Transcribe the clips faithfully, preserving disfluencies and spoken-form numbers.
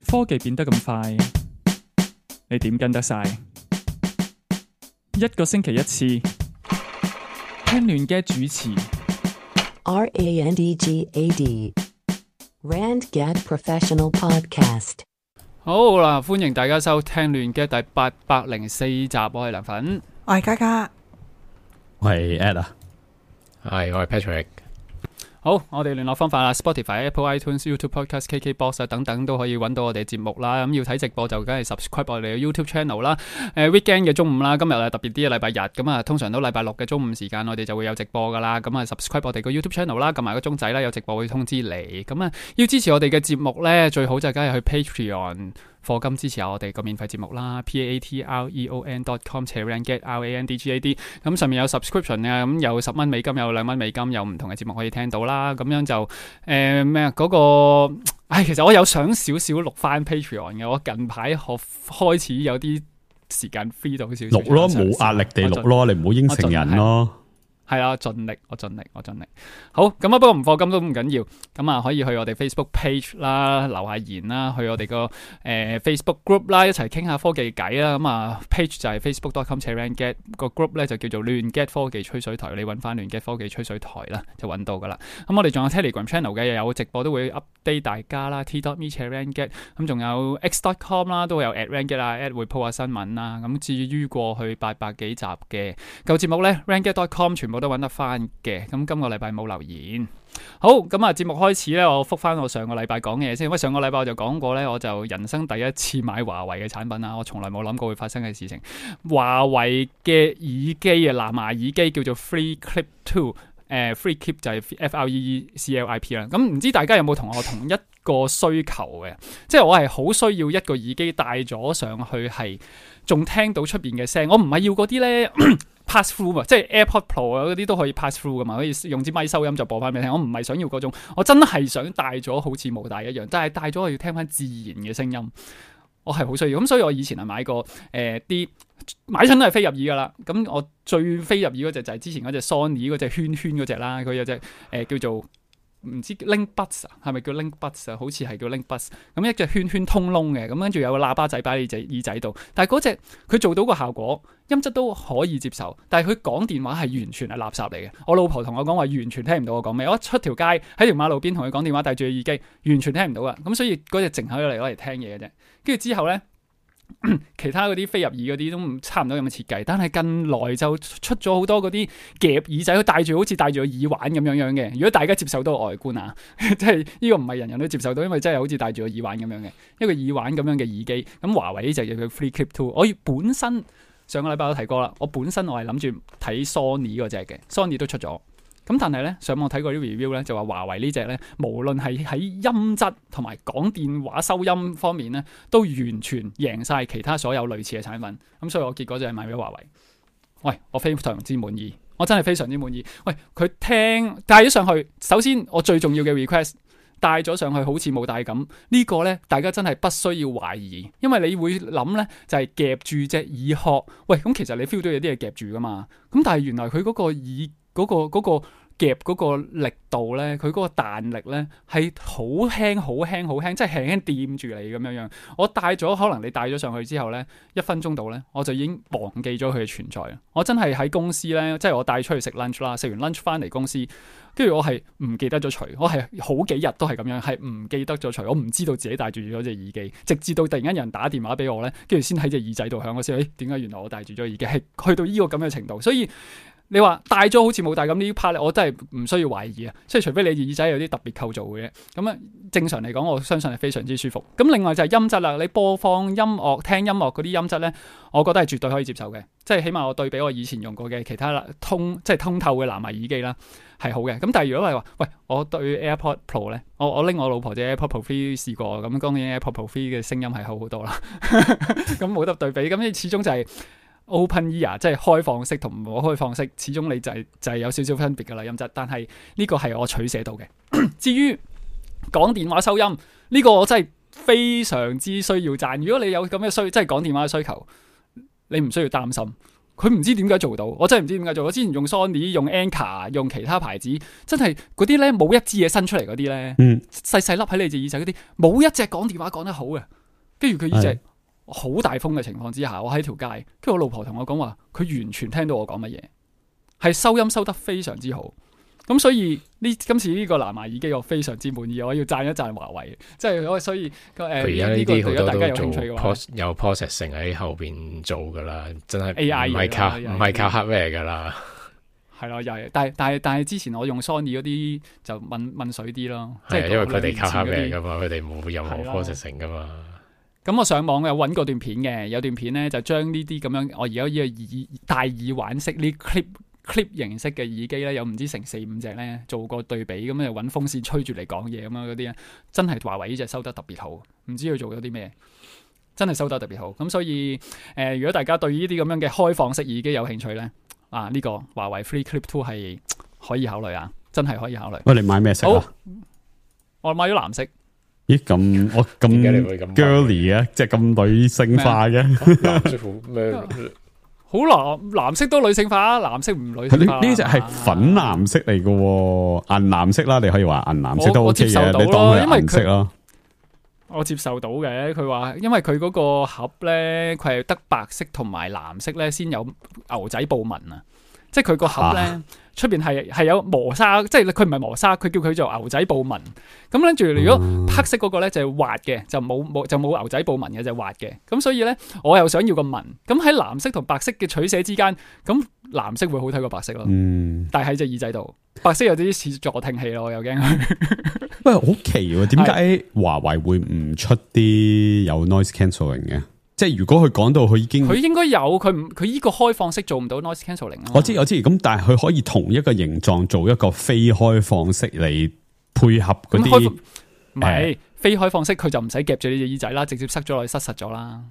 科技變得咁快，你點跟得晒？一個星期一次，聽亂嘅主持。R A N D G A D Rand Gad Professional Podcast。好啦，歡迎大家收聽亂嘅第八百零四集，我係梁粉，我係嘉嘉，我係 Ed 啊，係我係 Patrick。好，我哋聯絡方法啦 ，Spotify、Apple iTunes、YouTube Podcast、K K Box 啊等等都可以揾到我哋節目啦。咁要睇直播就梗係 subscribe 我哋嘅 YouTube Channel 啦。誒 weekend 嘅中午啦，今日係特別啲嘅禮拜日，咁啊通常都禮拜六嘅中午時間我哋就會有直播噶啦。咁啊 subscribe 我哋個 YouTube Channel 啦，撳埋個鐘仔啦，有直播會通知你。咁啊要支持我哋嘅節目咧，最好就梗係去 Patreon。課金支持下我哋個免費節目啦 ，p a t r e o n dot com randgad r a n d g a d， 咁上面有 subscription 啊，咁有十蚊美金，有兩蚊美金，有唔同嘅節目可以聽到啦。咁樣就誒咩啊嗰個，唉，其實我有想少少錄翻 Patreon 嘅，我近排學開始有啲時間 free 到少少，錄咯，冇壓力地錄咯，你唔好應承人咯。係啊，盡力，我盡力，我盡力。好，咁啊，不過唔課金都唔緊要，咁啊可以去我哋 Facebook page 啦，留下言啦，去我哋個誒 Facebook group 啦，一齊傾下科技偈啦。咁啊 page 就係 facebook dot com randgad， 個 group 咧就叫做亂 get 科技吹水台，你揾翻亂 get 科技吹水台啦，就揾到噶啦。咁我哋仲有 Telegram channel 嘅，有直播都會 update 大家啦 ，t dot me randgad， 咁仲有 x dot com 啦，都會有 at randgad 啊 ，at 會 po 下新聞啦。咁至於過去八百幾集嘅舊節目咧 ，randgad dot com 全部都揾得翻嘅，咁今個禮拜冇留言。好，咁啊節目開始咧，我復翻我上個禮拜講嘅嘢先。因為上個禮拜我就講過咧，我就人生第一次買華為嘅產品啦，我從來冇諗過會發生嘅事情。華為嘅耳機啊，藍牙耳機叫做 Free Clip Two， 誒、呃、Free Clip 就係 F R E E C L I P 啦。咁唔知大家有冇同我同一個需求嘅？即係我係好需要一個耳機戴咗上去係仲聽到出邊嘅聲，我唔係要嗰啲咧。pass through 嘛，即係 AirPod Pro 啊嗰啲都可以 pass through 噶嘛，可以用支咪收音就播翻俾你聽。我唔係想要嗰種，我真係想戴咗好似冇戴一樣，但係戴咗我要聽翻自然嘅聲音，我係好需要。咁所以我以前係買過誒啲、呃、買親都係飛入耳噶啦。咁我最飛入耳嗰隻就係之前嗰隻 Sony 嗰隻圈圈嗰隻啦，佢有隻誒、呃、叫做。唔知 Link Buds 啊，係咪叫 Link Buds 啊？好似係叫 Link Buds。咁一隻圈圈通窿嘅，咁跟住有個喇叭仔擺喺你隻耳仔度。但係嗰隻佢做到個效果，音質都可以接受。但係佢講電話係完全係垃圾嚟嘅。我老婆同我講話完全聽唔到我講咩。我一出條街喺條馬路邊同佢講電話，戴住個耳機，完全聽唔到噶。咁所以嗰隻淨係攞嚟攞嚟聽嘢嘅啫。跟住之後咧。其他嗰啲飛入耳嗰啲都唔差唔多咁嘅設計，但係近來就出咗好多嗰啲夾耳仔，佢戴住好似戴住個耳環咁樣樣嘅。如果大家接受到外觀啊，即係呢個唔係人人都接受到，因為真係好似戴住個耳環咁樣嘅一個耳環咁樣嘅耳機。咁華為呢就叫佢 Free Clip Two。我本身上個禮拜都提過啦，我本身我係諗住睇 Sony 嗰隻嘅 ，Sony 都出咗。咁但係咧，上網睇過啲 review 咧，就話華為呢隻咧，無論係喺音質同埋講電話收音方面咧，都完全贏晒其他所有類似嘅產品。咁所以我結果就係買咗華為。喂，我非常之滿意，我真係非常之滿意。喂，佢聽帶咗上去，首先我最重要嘅 request 帶咗上去好似冇帶咁，呢個咧大家真係不需要懷疑，因為你會諗咧就係夾住隻耳殼。喂，咁其實你 feel 到有啲嘢夾住噶嘛？咁但係原來佢嗰個耳嗰個嗰個。夾嗰個力度咧，佢嗰個彈力咧係好輕、好輕、好輕，即係輕輕掂住你咁樣樣。我戴咗，可能你戴咗上去之後咧，一分鐘度咧，我就已經忘記咗佢嘅存在。我真係喺公司咧，即係我帶出去食 lunch 啦，食完 lunch 翻嚟公司，跟住我係唔記得咗除，我係好幾日都係咁樣，係唔記得咗除，我唔知道自己戴住咗隻耳機，直至到突然間有人打電話俾我咧，跟住先喺隻耳仔度響，我先誒點解原來我戴住咗耳機，係去到呢個咁嘅程度，所以。你話戴咗好似冇戴咁呢 part 咧，我真係唔需要懷疑啊！即係除非你耳仔有啲特別構造嘅啫，咁啊正常嚟講，我相信係非常之舒服。咁另外就係音質啦，你播放音樂、聽音樂嗰啲音質咧，我覺得係絕對可以接受嘅。即係起碼我對比我以前用過嘅其他通即係通透嘅藍牙耳機啦，係好嘅。咁但係如果係話，喂，我對 AirPod Pro 咧，我我拎我老婆隻 AirPod Pro three 試過，咁當然 AirPod Pro three 嘅聲音係好好多啦。咁冇得對比，咁你始終就係、是。Open ear 即係開放式同唔開放式，始終你就係、是、就係、是、有少少分別噶啦音質，但係呢個係我取捨到嘅。至於講電話收音呢、這個，我真係非常之需要讚。如果你有咁嘅需，即係講電話嘅需求，你唔需要擔心。佢唔知點解做到，我真係唔知點解做到。我之前用 Sony、用 Anker、用其他牌子，真係嗰啲咧冇一支嘢伸出嚟嗰啲咧，嗯，細細粒喺你隻耳仔嗰啲，冇一隻講電話講得好嘅。跟住佢呢隻好大風嘅情況之下，我喺條街，跟住我老婆同我講話，佢完全聽到我講乜嘢，係收音收得非常之好。咁所以呢今次呢個藍牙耳機我非常之滿意，我要讚一讚華為，即係所以誒而家呢啲好多大家有都做興趣嘅話 pros, 有 processing 喺後邊做噶啦，真係 A I 唔係靠嘢啦唔係靠 hardware 噶啦。係咯，又係，但係但係但係之前我用 Sony 嗰啲就問問水啲咯，即係係因為佢哋靠兩 hardware 年前嗰啲噶嘛，佢哋冇任何係啦 processing 噶嘛。咁我上網有揾過段片嘅，有段片咧就將呢啲咁樣，我而家呢個耳大耳環式呢 clip clip 形式嘅耳機咧，有唔知成四五隻咧做過對比，咁又揾風扇吹住嚟講嘢咁樣嗰啲咧，真係華為呢隻收得特別好，唔知佢做咗啲咩，真係收得特別好。咁所以誒、呃，如果大家對呢啲咁樣嘅開放式耳機有興趣咧，啊呢、這個華為 Free Clip Two 係可以考慮啊，真係可以考慮。喂，你買咩色啊？我買咗藍色。咦，咁我咁點解你會咁 girly 嘅，即係咁女性化嘅？藍色好咩？好藍藍色都女性化，藍色唔女性化。呢呢隻係粉藍色嚟嘅，銀藍色啦，你可以話銀藍色都我 OK 接受到嘅，你當佢係銀色因為咯。我接受到嘅，佢話因為佢嗰個盒咧，佢係得白色同埋藍色咧先有牛仔布紋啊，即係佢個盒咧出邊係係有磨砂，即係佢唔係磨砂，佢叫佢做牛仔布紋。咁跟住如果黑色嗰個咧就係滑嘅，就冇冇就冇牛仔布紋嘅，就係滑嘅。咁所以咧我又想要個紋，咁喺藍色同白色嘅取捨之間，咁藍色會好睇過白色咯。嗯，但係喺隻耳仔度，白色有啲似助聽器咯，我又驚佢。喂，好奇喎，點解華為會唔出啲有 noise cancelling 嘅？即係如果佢講到佢已經，佢應該有，佢唔佢依個開放式做唔到 noise cancelling 啊。我知我知，咁但係佢可以同一個形狀做一個非開放式嚟配合嗰啲，唔係非開放式，佢就唔使夾住你隻耳仔啦，直接塞咗落去，塞實咗啦。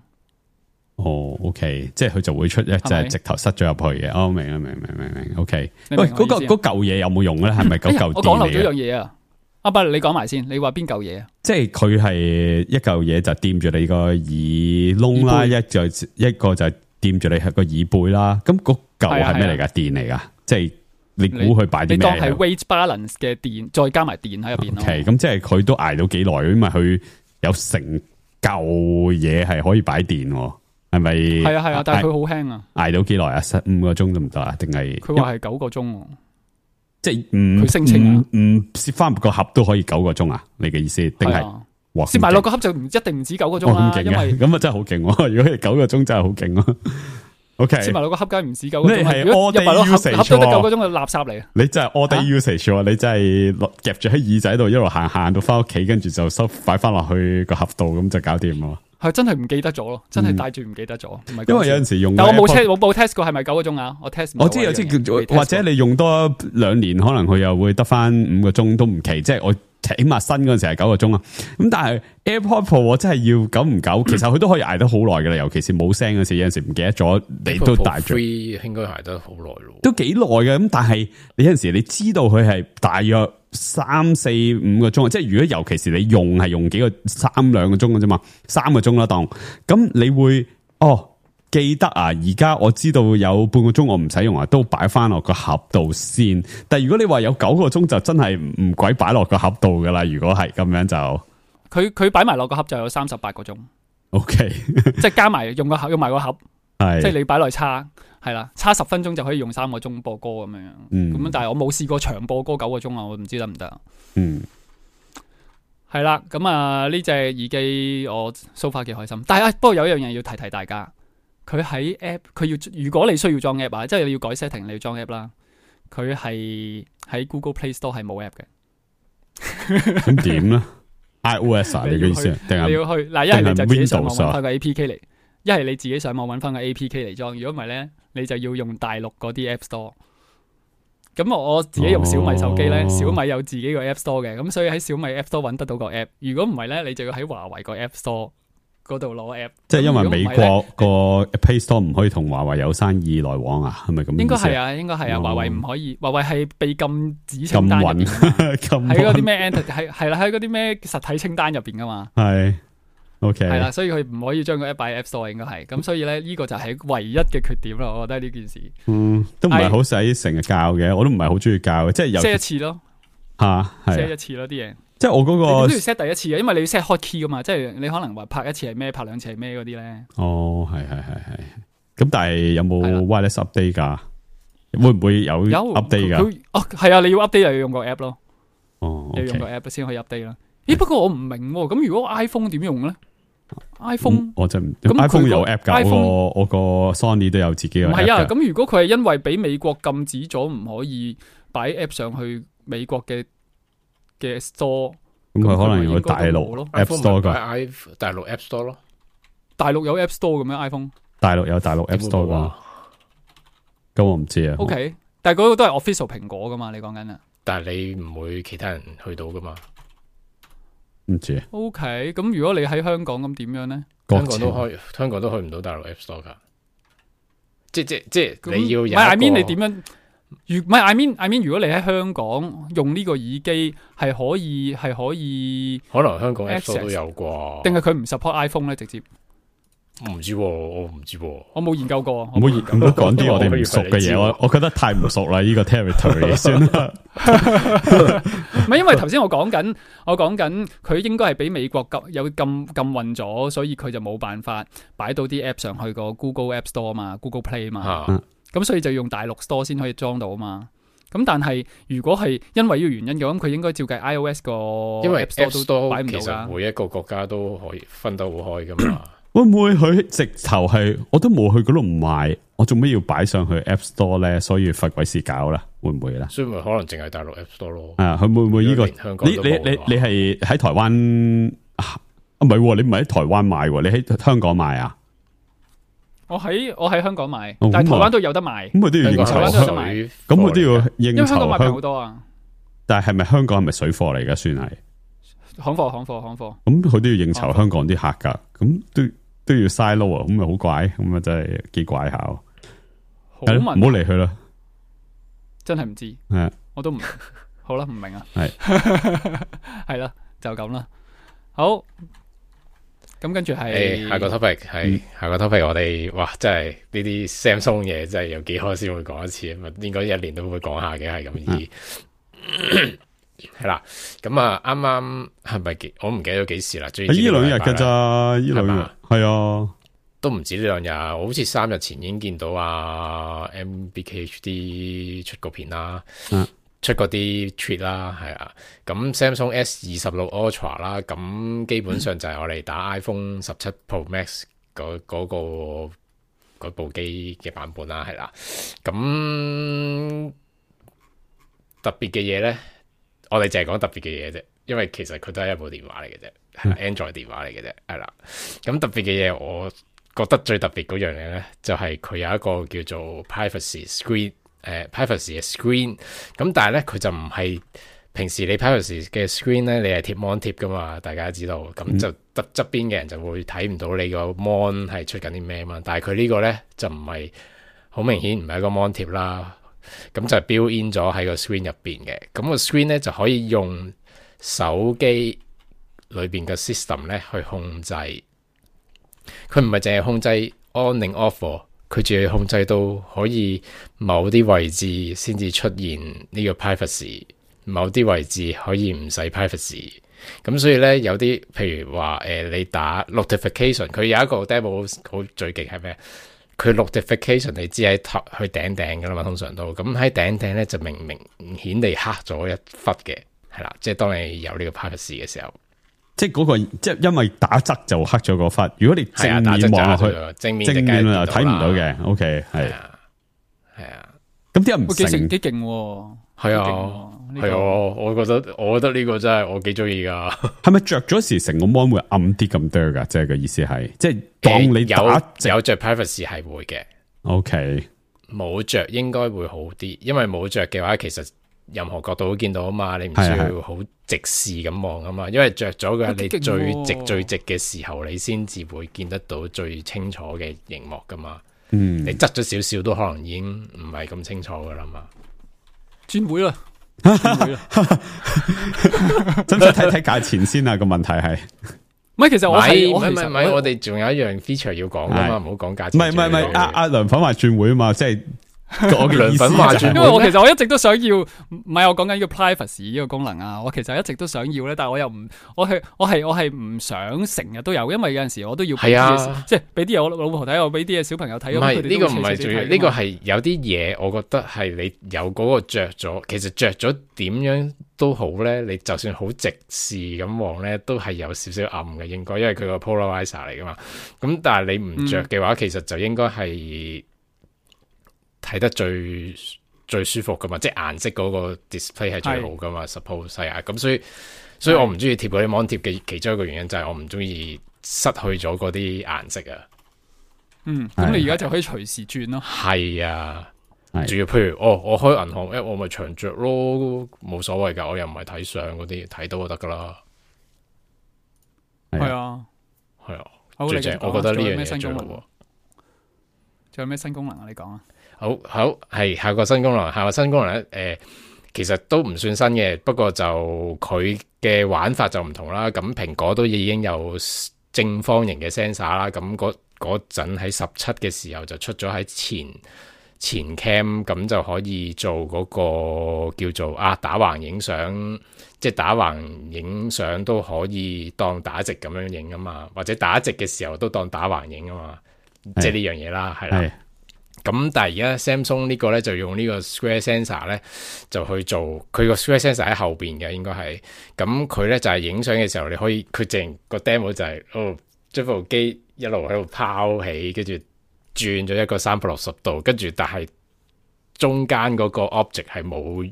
哦 ，OK， 即係佢就會出一隻直頭塞咗入去嘅。哦，明啦，明明明明 OK。喂，嗰個嗰嚿嘢有冇用咧？係咪嗰嚿電嚟嘅？我講漏咗樣嘢啊！阿伯，你講埋先，你話邊嚿嘢啊？即係佢係一嚿嘢就掂住你個耳窿啦，一就一個就掂住你個耳背啦。咁嗰嚿係咩嚟噶？電嚟噶？即係你估佢擺啲咩？你當係 weight balance 嘅電，再加埋電喺入邊咯。OK，咁即係佢都挨到幾耐？因為佢有成嚿嘢係可以擺電，係咪？係啊係啊，但係佢好輕啊！挨到幾耐啊？十五個鐘得唔得啊？定係佢話係九個鐘。即係唔佢聲稱啊唔唔攝翻個盒都可以九個鐘啊？你嘅意思定係？哇！攝埋落個盒就唔一定唔止九個鐘啦，因為咁啊真係好勁喎！如果係九個鐘真係好勁咯。O K，攝埋落個盒梗係唔止九個鐘。你係如果入埋落盒，盒都得九個鐘嘅垃圾嚟。你真係 all day usage 喎！你真係夾住喺耳仔度一路行行到翻屋企，跟住就收擺翻落去個盒度，咁就搞掂咯。係真係唔記得咗咯，真係帶住唔記得咗。唔係因為有陣時用，但我冇 test，我冇 test 過係咪九個鐘啊？我 test，我知有啲或者你用多兩年，可能佢又會得翻五個鐘都唔奇。即係我起碼新嗰陣時係九個鐘啊。咁但係 AirPod Pro 我真係要久唔久，其實佢都可以挨得好耐噶啦。尤其是冇聲嗰時，有陣時唔記得咗，你都帶住。應該挨得好耐咯，都幾耐嘅。咁但係你有陣時你知道佢係大約三四五個鐘，即係如果尤其是你用係用幾個三兩個鐘嘅啫嘛，三個鐘啦當，咁你會哦記得啊，而家我知道有半個鐘我唔使用啊，都擺翻落個盒度先。但係如果你話有九個鐘就真係唔鬼擺落個盒度噶啦，如果係咁樣就佢佢擺埋落個盒就有三十八個鐘。OK， 即係加埋用個盒用埋個盒，係即係你擺落去叉。係啦，差十分鐘就可以用三個鐘播歌咁樣，咁、嗯、樣但係我冇試過長播歌九個鐘啊，我唔知得唔得。嗯，係啦，咁啊呢隻耳機我 so far 幾開心，但係啊，不過有一樣嘢要提提大家，佢喺 app 佢要如果你需要裝 app 啊，即係你要改 setting 你要裝 app 啦，佢係喺 Google Play Store 係冇 app 嘅。咁點咧 ？iOS 啊，你嘅意思定係你要去嗱，一係你就自己上網 Windows 揾翻個 A P K 嚟。一係你自己上網揾翻個 A P K 嚟裝，如果唔係咧，你就要用大陸嗰啲 App Store。咁我自己用小米手機咧，哦、小米有自己個 App Store 嘅，咁所以喺小米 App Store 揾得到個 App。如果唔係咧，你就要喺華為個 App Store 嗰度攞 App。即係因為美國個 Play Store 唔可以同華為有生意來往啊？係咪咁？應該係啊，應該係啊，華、哦、為唔可以，華為係被禁止清單入邊，喺嗰啲咩 Enter 係係啦，喺嗰啲咩實體清單入邊噶嘛。係。OK，係啦，所以佢唔可以將個 app 擺喺 App Store 應該係，咁所以咧呢個就係唯一嘅缺點啦，我覺得呢件事。嗯，都唔係好使成日教嘅，我都唔係好中意教嘅，即係有 set 一次咯，吓係，set 一次咯啲嘢。即係我嗰你個都要 set 第一次嘅，因為你要 set hot key 噶嘛，即係你可能話拍一次係咩，拍兩次係咩嗰啲咧。哦，係係係係，咁但係有冇係啦 wireless update 噶？會唔會有有 update 噶？佢哦係啊，你要 update 又要用個 app 咯，哦你要用個，OK， app 先可以 update 啦。咦？不過我唔明喎，咁如果 iPhone 點用咧？iPhone 嗯我真唔咁佢，iPhone 個有 app 噶， iPhone 我個我個 Sony 都有自己嘅唔 app 係啊，㗎。咁如果佢係因為俾美國禁止咗唔可以擺 app 上去美國嘅嘅 store，咁佢可能應要大該都冇陸咯 App iPhone Store 噶， i 大陸 App Store 咯，大陸有 app store 嘅咩 iPhone？OK，、大陸有大陸 App Store 噶，咁我唔知啊。但係嗰個都係 official 蘋果噶嘛？你講緊啊但係你唔會其他人去到噶嘛？唔知啊， ？OK，咁如果你喺香港咁點樣咧？香港都開，香港都去唔到大陸 App Store 噶。即即即咁你要有一個唔係 I mean 你點樣？如唔係 I mean I mean 如果你喺香港用呢個耳機係可以係可以，可能香港 App Store Access 都有啩？定係佢唔 support iPhone 咧？直接我唔知喎，我唔知喎。我冇研究過，唔好唔好講啲我哋唔熟嘅嘢，我我覺得太唔熟啦，呢個 territory 算啦。唔係因為頭先我講緊，我講緊佢應該係俾美國禁有禁禁運咗，所以佢就冇辦法擺到啲 app 上去個 Google App Store 嘛，Google Play 嘛，啊咁所以就用大陸 Store 先可以裝到嘛。咁但係如果係因為呢個原因嘅，咁佢應該照計 iOS 個因為 App App Store 都擺 Store 其實唔到㗎。每一個國家都可以分得好開噶嘛。會唔會佢直頭係我都冇去嗰度買，我做咩要擺上去 App Store 咧？所以罰鬼事搞啦，會唔會咧？所以咪可能淨係大陸 App Store 咯。啊，佢會唔會呢個？如果連香港你都你你冇嘅話你係喺台灣啊？唔係喎，你唔係喺台灣買喎，你喺香港買啊？我喺我喺香港買，哦但係台咁啊灣都有得賣，咁佢都要應酬香港台灣都有得香，賣水咁佢都要應因為香酬港買平好香。多啊，但係係咪香港係咪水貨嚟噶？算係行貨行貨行貨。咁，佢都要應酬香港啲客噶，咁都都要嘥撈啊！咁咪好怪，咁啊真係幾怪下。係咯唔好問好理佢啦。真係唔知，係啊我都唔好啦，唔明啊，係係啦，就咁啦。好，咁跟住係誒，下個 topic 係下個 topic，我哋哇，真係呢啲 Samsung 嘢真係有幾可先會講一次啊嘛，應該一年都會講下嘅，係咁意。係啦，咁啊，啱啱係咪幾？我唔記得咗幾時啦。最呢兩日噶咋？呢兩日係嘛係啊。都唔止呢兩日，我好似三日前已經見到啊 M B K H D 出個片啦，嗯出嗰啲 tweet 啦，係啊。咁 Samsung S 二十六 Ultra 啦，咁基本上就係我哋打 iPhone 十七 Pro Max 嗰嗰、個嗰部機嘅版本啦，係啦。咁特別嘅嘢咧，我哋淨係講特別嘅嘢啫，因為其實佢都係一部電話嚟嘅啫，係 Android 電話嚟嘅啫，係啦。咁特別嘅嘢，我覺得最特別嗰樣嘢咧，就係、是、佢有一個叫做 privacy screen，誒、呃、privacy 嘅 screen。咁但係咧，佢就唔係平時你 privacy 嘅 screen 咧，你係貼 mon 貼噶嘛，大家知道。咁就側側邊嘅人就會睇唔到你個 mon 係出緊啲咩嘛。但係佢呢個咧就唔係好明顯，唔係一個 mon 貼啦。咁就 build in 咗喺個 screen 入邊嘅。咁、個 screen 咧就可以用手機裏邊嘅 system 咧去控制。佢唔係淨係控制 on 定 off，佢仲要控制到可以某啲位置先至出現呢個 privacy，某啲位置可以唔使 privacy。咁所以咧有啲譬如話誒、呃、你打 notification，佢有一個 demo 好最勁係咩？佢 notification 你知喺頭去頂頂噶啦嘛，通常都咁喺頂頂咧就明明顯地黑咗一忽嘅，係啦，即係當你有呢個 privacy 嘅時候。即係嗰個，即係因為打側就黑咗個忽。如果你正係啊打側面望落去，就黑咗正面就正面啊睇唔到梗係嘅。O K 係係，啊，係啊，咁啲人唔喂幾成成幾勁喎，係啊幾勁喎呢個係啊，我覺得我覺得呢個真係我幾中意噶。係咪着咗時成個 mon 會暗啲咁多噶？即係個意思係，即係當你打直有有着 privacy 係會嘅， O K 冇着應該會好啲，因為冇着嘅話，其實任何角度都見到啊嘛，你唔需係係要好直視咁望啊嘛，因為着咗嘅哇你幾勁喎最直最直嘅時候，你先至會見得到最清楚嘅熒幕噶嘛。嗯你側咗少少都可能已經唔係咁清楚噶啦嘛。轉會啦，轉會啦。使唔使睇睇價錢先啊？個問題係唔唔係，其實我係我唔係唔係唔係，我我哋仲有一樣 feature 要講噶嘛，唔好講價唔錢。係唔係唔係，阿阿梁粉話轉會啊嘛，即係我嘅意思梁粉話轉會就係因為我其實我一直都想要，唔係我講緊呢個 privacy 呢個功能啊，我其實一直都想要咧，但係我又唔，我係我係我係唔想成日都有，因為有陣時我都要俾啲係嘢，啊即係俾啲嘢我老婆睇，我俾啲嘢小朋友睇。唔係呢個唔係最重要，呢個係有啲嘢，我覺得係你有嗰個着咗，其實着咗點樣都好咧，你就算好直視咁望咧，都係有少少暗嘅應該，因為佢個 polarizer 嚟噶嘛。咁但係你唔着嘅話，嗯、其實就應該係睇得最最舒服噶嘛，即係顏色嗰個 display 係最好噶嘛。suppose 係啊，咁所以所以我唔中意貼嗰啲 mon 貼嘅其中一個原因就係我唔中意失去咗嗰啲顏色啊。嗯，咁你而家就可以隨時轉咯。係啊。仲要譬如哦，我開銀行 app 我咪長着咯，冇所謂噶，我又唔係睇相嗰啲，睇到就得噶啦。係啊，係啊，好最正，我覺得呢樣嘢最好。仲有咩新功能啊？你講啊。好好係下個新功能，下個新功能咧，誒、呃，其實都唔算新嘅，不過就佢嘅玩法就唔同啦。咁蘋果都已經有正方形嘅 sensor 啦，咁嗰嗰陣喺十七嘅時候就出咗喺前。前 cam 咁就可以做嗰個叫做啊打橫影相，即係打橫影相都可以當打直咁樣影啊嘛，或者打直嘅時候都當打橫影啊嘛，即係呢樣嘢啦，係啦。咁但係而家 Samsung 呢個咧就用呢個 Square Sensor 咧就去做，佢個 Square Sensor 喺後邊嘅應該係，咁佢咧就係影相嘅時候你可以，佢淨個 demo 就係、是、哦將部機一路喺度拋起，跟住。轉咗一個三百六十度，跟住但係中間嗰個 object 係冇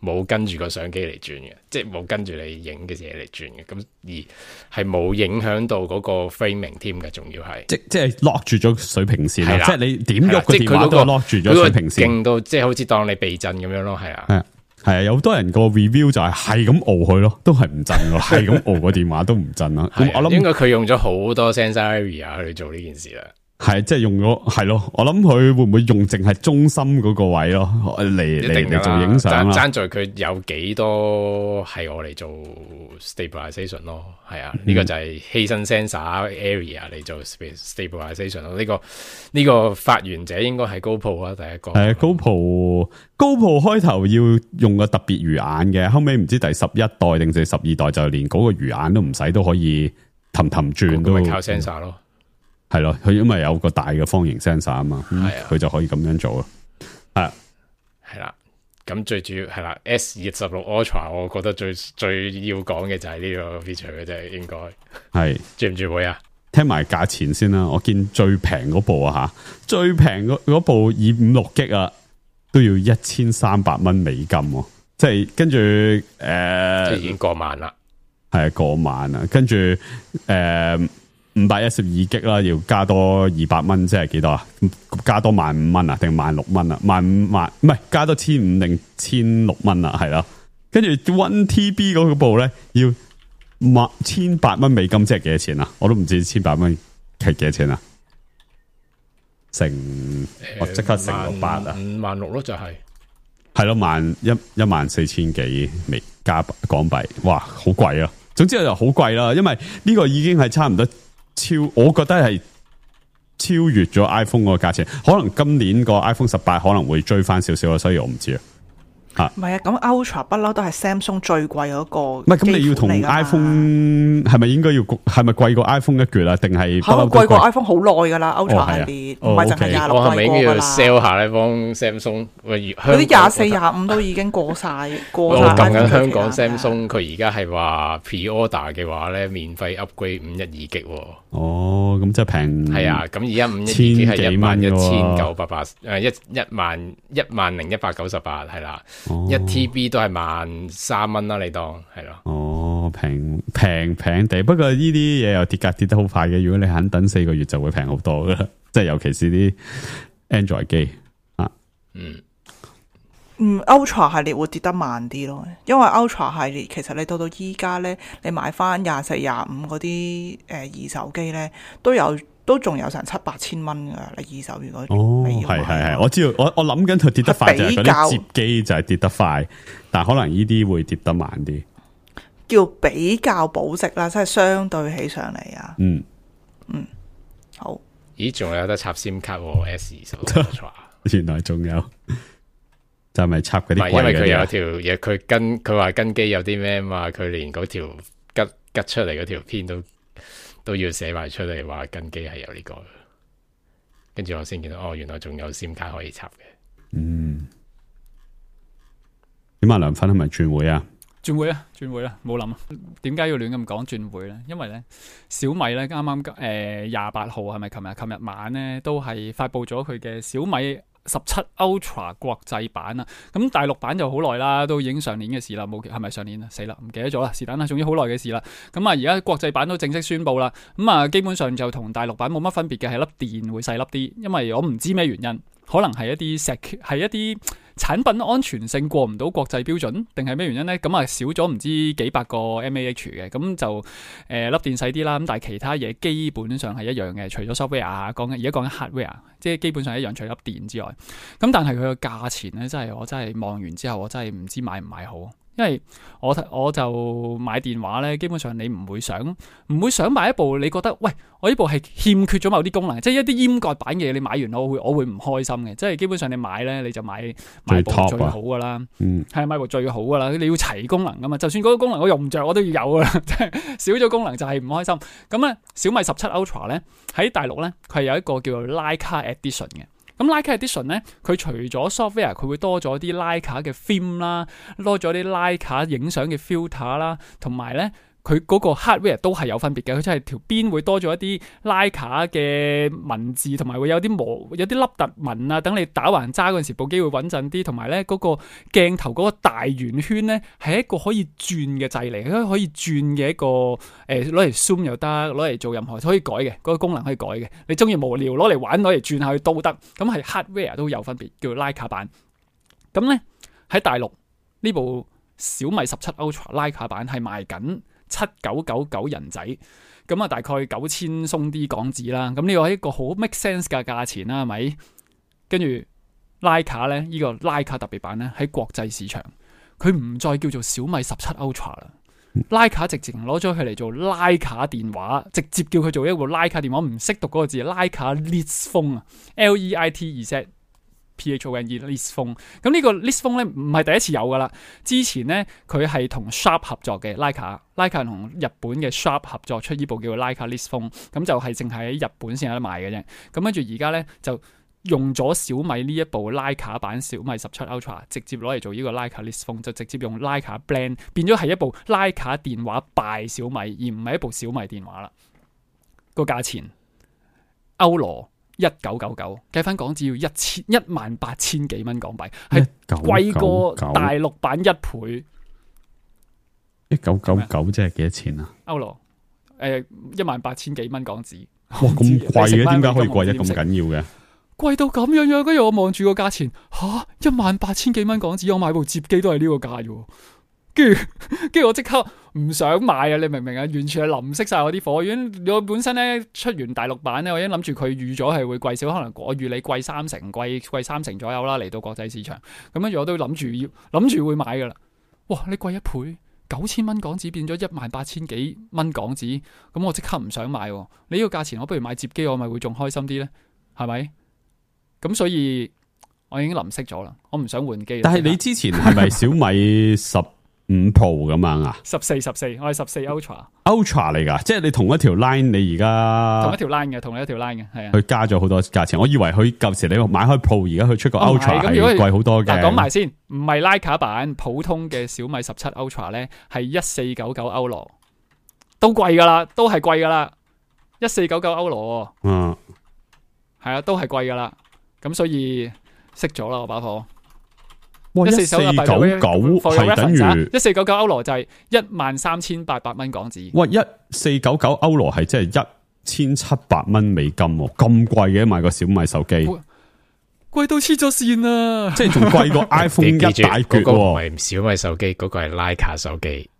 冇跟住個相機嚟轉嘅，即係冇跟住你影嘅嘢嚟轉嘅，咁而係冇影響到嗰個 framing 添嘅，仲要係即即係 lock 住咗水平線啦，即係你點喐個電話電話都 lock 住咗水平線，勁到即係好似當你避震咁樣咯，係啊，係係啊，有好多人個 review 就係係咁熬佢咯，都係唔震咯，係咁熬個電話都唔震啦。咁我諗應該佢用咗好多 sensor area 去做呢件事啦。係，即係用咗，係咯。我諗佢會唔會用淨係中心嗰個位咯，嚟嚟嚟做影相啦。爭在佢有幾多係我嚟做 stabilization 咯，係啊，呢、嗯、個就係犧牲 sensor area 嚟做 stabilization 咯。呢、這個呢、這個發源者應該係 GoPro 啦，第一個。係 GoPro GoPro 開頭要用個特別魚眼嘅，後尾唔知第十一代定係十二代就連嗰個魚眼都唔使，都可以氹氹轉都。咁靠 sensor 咯。係咯，佢因為有個大嘅方形 sensor 啊嘛，佢、嗯、就可以咁樣做咯。係係啦，咁最主要係啦 S 二十六 Ultra， 我覺得最最要講嘅就係呢個 feature 嘅啫，應該係轉唔轉會啊？聽埋價錢先啦，我見最平嗰部啊吓，最平嗰部二五六 G 啊，都要一千三百蚊美金，即係跟住誒，呃、已經過萬啦，係過萬啦，跟住誒。呃五百一十二 G 啦，要加多二百蚊，即係幾多啊？加多萬五蚊啊，定萬六蚊啊？萬五萬唔係加多千五定千六蚊啊？係咯，跟住 one T B 嗰部咧要萬千八蚊美金，即係幾多錢啊？我都唔知千八蚊係幾多錢啊？乘、呃、我即刻乘六八啊，五萬六咯，就係係咯，萬一一萬四千幾美加港幣，哇，好貴啊！總之就好貴啦，因為呢個已經係差唔多。超，我覺得係超越咗 iPhone 嗰個價錢，可能今年個 iPhone 十八可能會追翻少少，所以我唔知啊。唔係啊，咁 Ultra 不嬲都係 Samsung 最貴嗰個。唔係，咁你要同 iPhone 係咪應該要係咪貴過 iPhone 一橛啊？定係可能貴過 iPhone 好耐噶啦 Ultra 系列，唔係淨係廿六我係咪應該要貴 sell 下呢幫 Samsung？嗰啲廿四、廿五都已經過晒，過晒。我講緊香港 Samsung，佢而家係話 pre-order 嘅話咧，免費 upgrade 五一二 G。哦，咁即係平。係啊，咁而家五一二 G 係一萬一千九百八，誒一一萬一萬零一百九十八係啦。一、哦、T B 都係萬三蚊啦，你當係咯。哦，平平平地，不過呢啲嘢又跌價跌得好快嘅。如果你肯等四個月，就會平好多噶啦。即係尤其是啲 Android 機啊。嗯嗯 ，Ultra 系列會跌得慢啲咯，因為 Ultra 系列其實你到到依家咧，你買翻廿四、廿五嗰啲誒二手機咧，都有。都仲有成七八千蚊噶，你二手如果哦，係係係，我知道，我我諗緊佢跌得快就係嗰啲摺機就係跌得快，但可能呢啲會跌得慢啲。叫比較保值啦，即係相對起上嚟啊。嗯嗯，好。咦，仲有得插 SIM 卡喎 S 二十六 Ultra，原來仲有，就係咪插嗰啲貴唔係因為佢有嗰啲啊？條嘢，佢跟佢話跟機有啲咩嘛，佢連嗰條吉吉出嚟嗰條片都都要寫埋出嚟，話跟機係有呢、個。跟住我先見到，哦，原來仲有 SIM 卡可以插嘅。嗯，點啊？梁芬係咪轉會啊？轉會啊，轉會啦，冇諗啊。點解要亂咁講轉會咧？因為咧小米咧啱啱誒廿八號係咪琴日？琴日晚咧都係發布咗佢嘅小米十七 Ultra 國際版啊。咁大陸版就好耐啦，都已經上年嘅事啦。冇係咪上年啊？死啦，唔記得咗啦。是但啦，總之好耐嘅事啦。咁啊，而家國際版都正式宣布啦。咁啊，基本上就同大陸版冇乜分別嘅，係粒電會細粒啲。因為我唔知咩原因，可能係一啲石係一啲產品安全性過唔到國際標準，定係咩原因呢？咁啊少咗唔知幾百個 mAh 嘅，咁就誒粒、呃、電細啲啦。咁但係其他嘢基本上係一樣嘅，除咗 software 啊，講緊而家講緊 hardware，即係基本上一樣，除咗粒電之外。咁但係佢個價錢咧，真係我真係望完之後，我真係唔知買唔買好。因為我我就買電話咧，基本上你唔會想唔會想買一部你覺得喂，我呢部係欠缺咗某啲功能，即係一啲閹割版嘅嘢，你買完我會我會唔開心嘅。即係基本上你買咧，你就買買部最好噶啦，嗯，係買部最好噶啦。你要齊功能噶嘛，就算嗰個功能我用唔着，我都要有噶啦。即係少咗功能就係唔開心。咁咧，小米十七 Ultra 咧喺大陸咧，佢係有一個叫做 Leica Edition 嘅。咁 Leica Edition 咧，佢除咗 software，佢會多咗啲 Leica 嘅 film 啦，多咗啲 Leica 影相嘅 filter 啦，同埋咧佢嗰個 hardware 都係有分別嘅。佢真係條邊會多咗一啲 Leica 嘅文字，同埋會有啲磨有啲凹凸紋啊，等你打橫揸嗰陣時部機會穩陣啲。同埋咧嗰個鏡頭嗰個大圓圈咧係一個可以轉嘅掣嚟，可以轉嘅一個誒攞嚟 zoom 又得，攞嚟做任何可以改嘅嗰、嗰個功能可以改嘅。你中意無聊攞嚟玩攞嚟轉下去都得。咁係 hardware 都有分別，叫做 Leica 版。咁咧喺大陸呢部小米十七 Ultra Leica 版係賣緊七九九九人仔，咁啊大概九千鬆啲港紙啦。咁呢個係一個好 make sense 嘅價錢啦，係咪？跟住 Leica 咧，呢個 Leica 特別版咧喺國際市場，佢唔再叫做小米十七 Ultra 啦。Leica 直情攞咗佢嚟做 Leica 電話，直接叫佢做一部 Leica 電話，唔識讀嗰個字 Leica Liz Phone 啊 ，L E I T Z P H O N E Liz Phone。咁呢個 Liz Phone 咧唔係第一次有噶啦，之前咧佢係同 Sharp 合作嘅 Leica，Leica 同日本嘅 Sharp 合作出呢部叫做 Leica Liz Phone，咁就係淨係喺日本先有得賣嘅啫。咁跟住而家咧就用咗小米呢一部 Leica 版小米十七 Ultra， 直接攞嚟做呢個 Leica Liz Phone，就直接用 Leica Blend 變咗係一部 Leica 電話拜小米，而唔係一部小米電話啦。個價錢歐羅一九九九，計翻港紙要一千一萬八千幾蚊港幣，係貴過大陸版一倍。一九九九即係幾多錢啊？歐羅誒一萬八千幾蚊港紙。哇，咁貴嘅，點解可以貴得咁緊要嘅？貴到咁樣樣，跟住我望住個價錢，吓一萬八千幾蚊港紙，我買部摺機都係呢個價嘅。跟住，跟住我即刻唔想買啊！你明唔明啊？完全係淋熄晒我啲火。如果我本身咧出完大陸版咧，我已經諗住佢預咗係會貴少，可能我預你貴三成，貴貴三成左右啦，嚟到國際市場。咁跟住我都諗住要諗住會買噶啦。哇！你貴一倍，九千蚊港紙變咗一萬八千幾蚊港紙，咁我即刻唔想買。你呢個價錢，我不如買摺機，我咪會仲開心啲咧？係咪？咁所以我已經淋熄咗啦，我唔想換機。但係你之前係咪小米十五 Pro 咁樣啊？十四十四，我係十四 Ultra Ultra 嚟噶，即係你同一條 line，你而家同一條 line 嘅，同一條 line 嘅，係啊。佢加咗好多價錢，我以為佢舊時你買開 Pro，而家佢出個 Ultra 係貴好多嘅。嗱，講埋先，唔係 Leica 版，普通嘅小米十七 Ultra 咧係一四九九歐羅，都貴噶啦，都係貴噶啦，一四九九歐羅。嗯，係啊，都係貴噶啦。咁所以熄咗啦，我把火。哇！一四九九係等於一四九九歐羅就係一萬三千八百蚊港紙。哇！一四九九歐羅係即係一千七百蚊美金，咁貴嘅買個小米手機，貴到黐咗線啊！即係仲貴過 iPhone 一大橛。嗰個唔係小米手機，嗰、嗰個係 Leica 手機。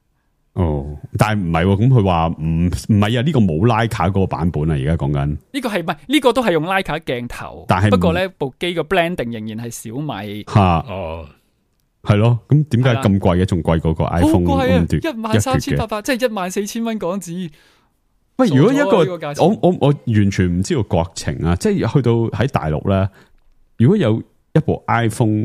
哦，但係唔係喎，咁佢話唔唔係啊？呢個冇 Leica 嗰個版本啊，而家講緊呢個係唔係呢個都係用 Leica 鏡頭，但係不過咧部機個 blending 仍然係小米吓哦係咯，咁點解咁貴嘅？仲貴過個 iPhone 好貴啊！咁一萬三千八百，即係一萬四千蚊港紙。喂，如果一個傻咗啊呢個價錢我我我完全唔知道國情啊，即係去到喺大陸咧，如果有一部 iPhone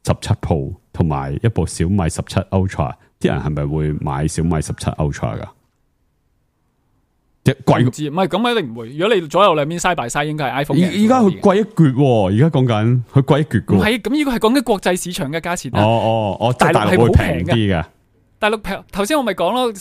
十七 Pro 同埋一部小米十七 Ultra， 啲人係咪會買小米十七 Ultra 噶？即係貴唔知唔係咁一定唔會。如果你左右兩邊 side by side，應該係 iPhone 嘅。而而家佢貴一橛喎，而家講緊佢貴一橛噶。唔係咁，呢個係講緊國際市場嘅價錢哦啊。哦哦，即係大陸係大陸會平好平嘅啲嘅。大陸平頭先我咪講咯，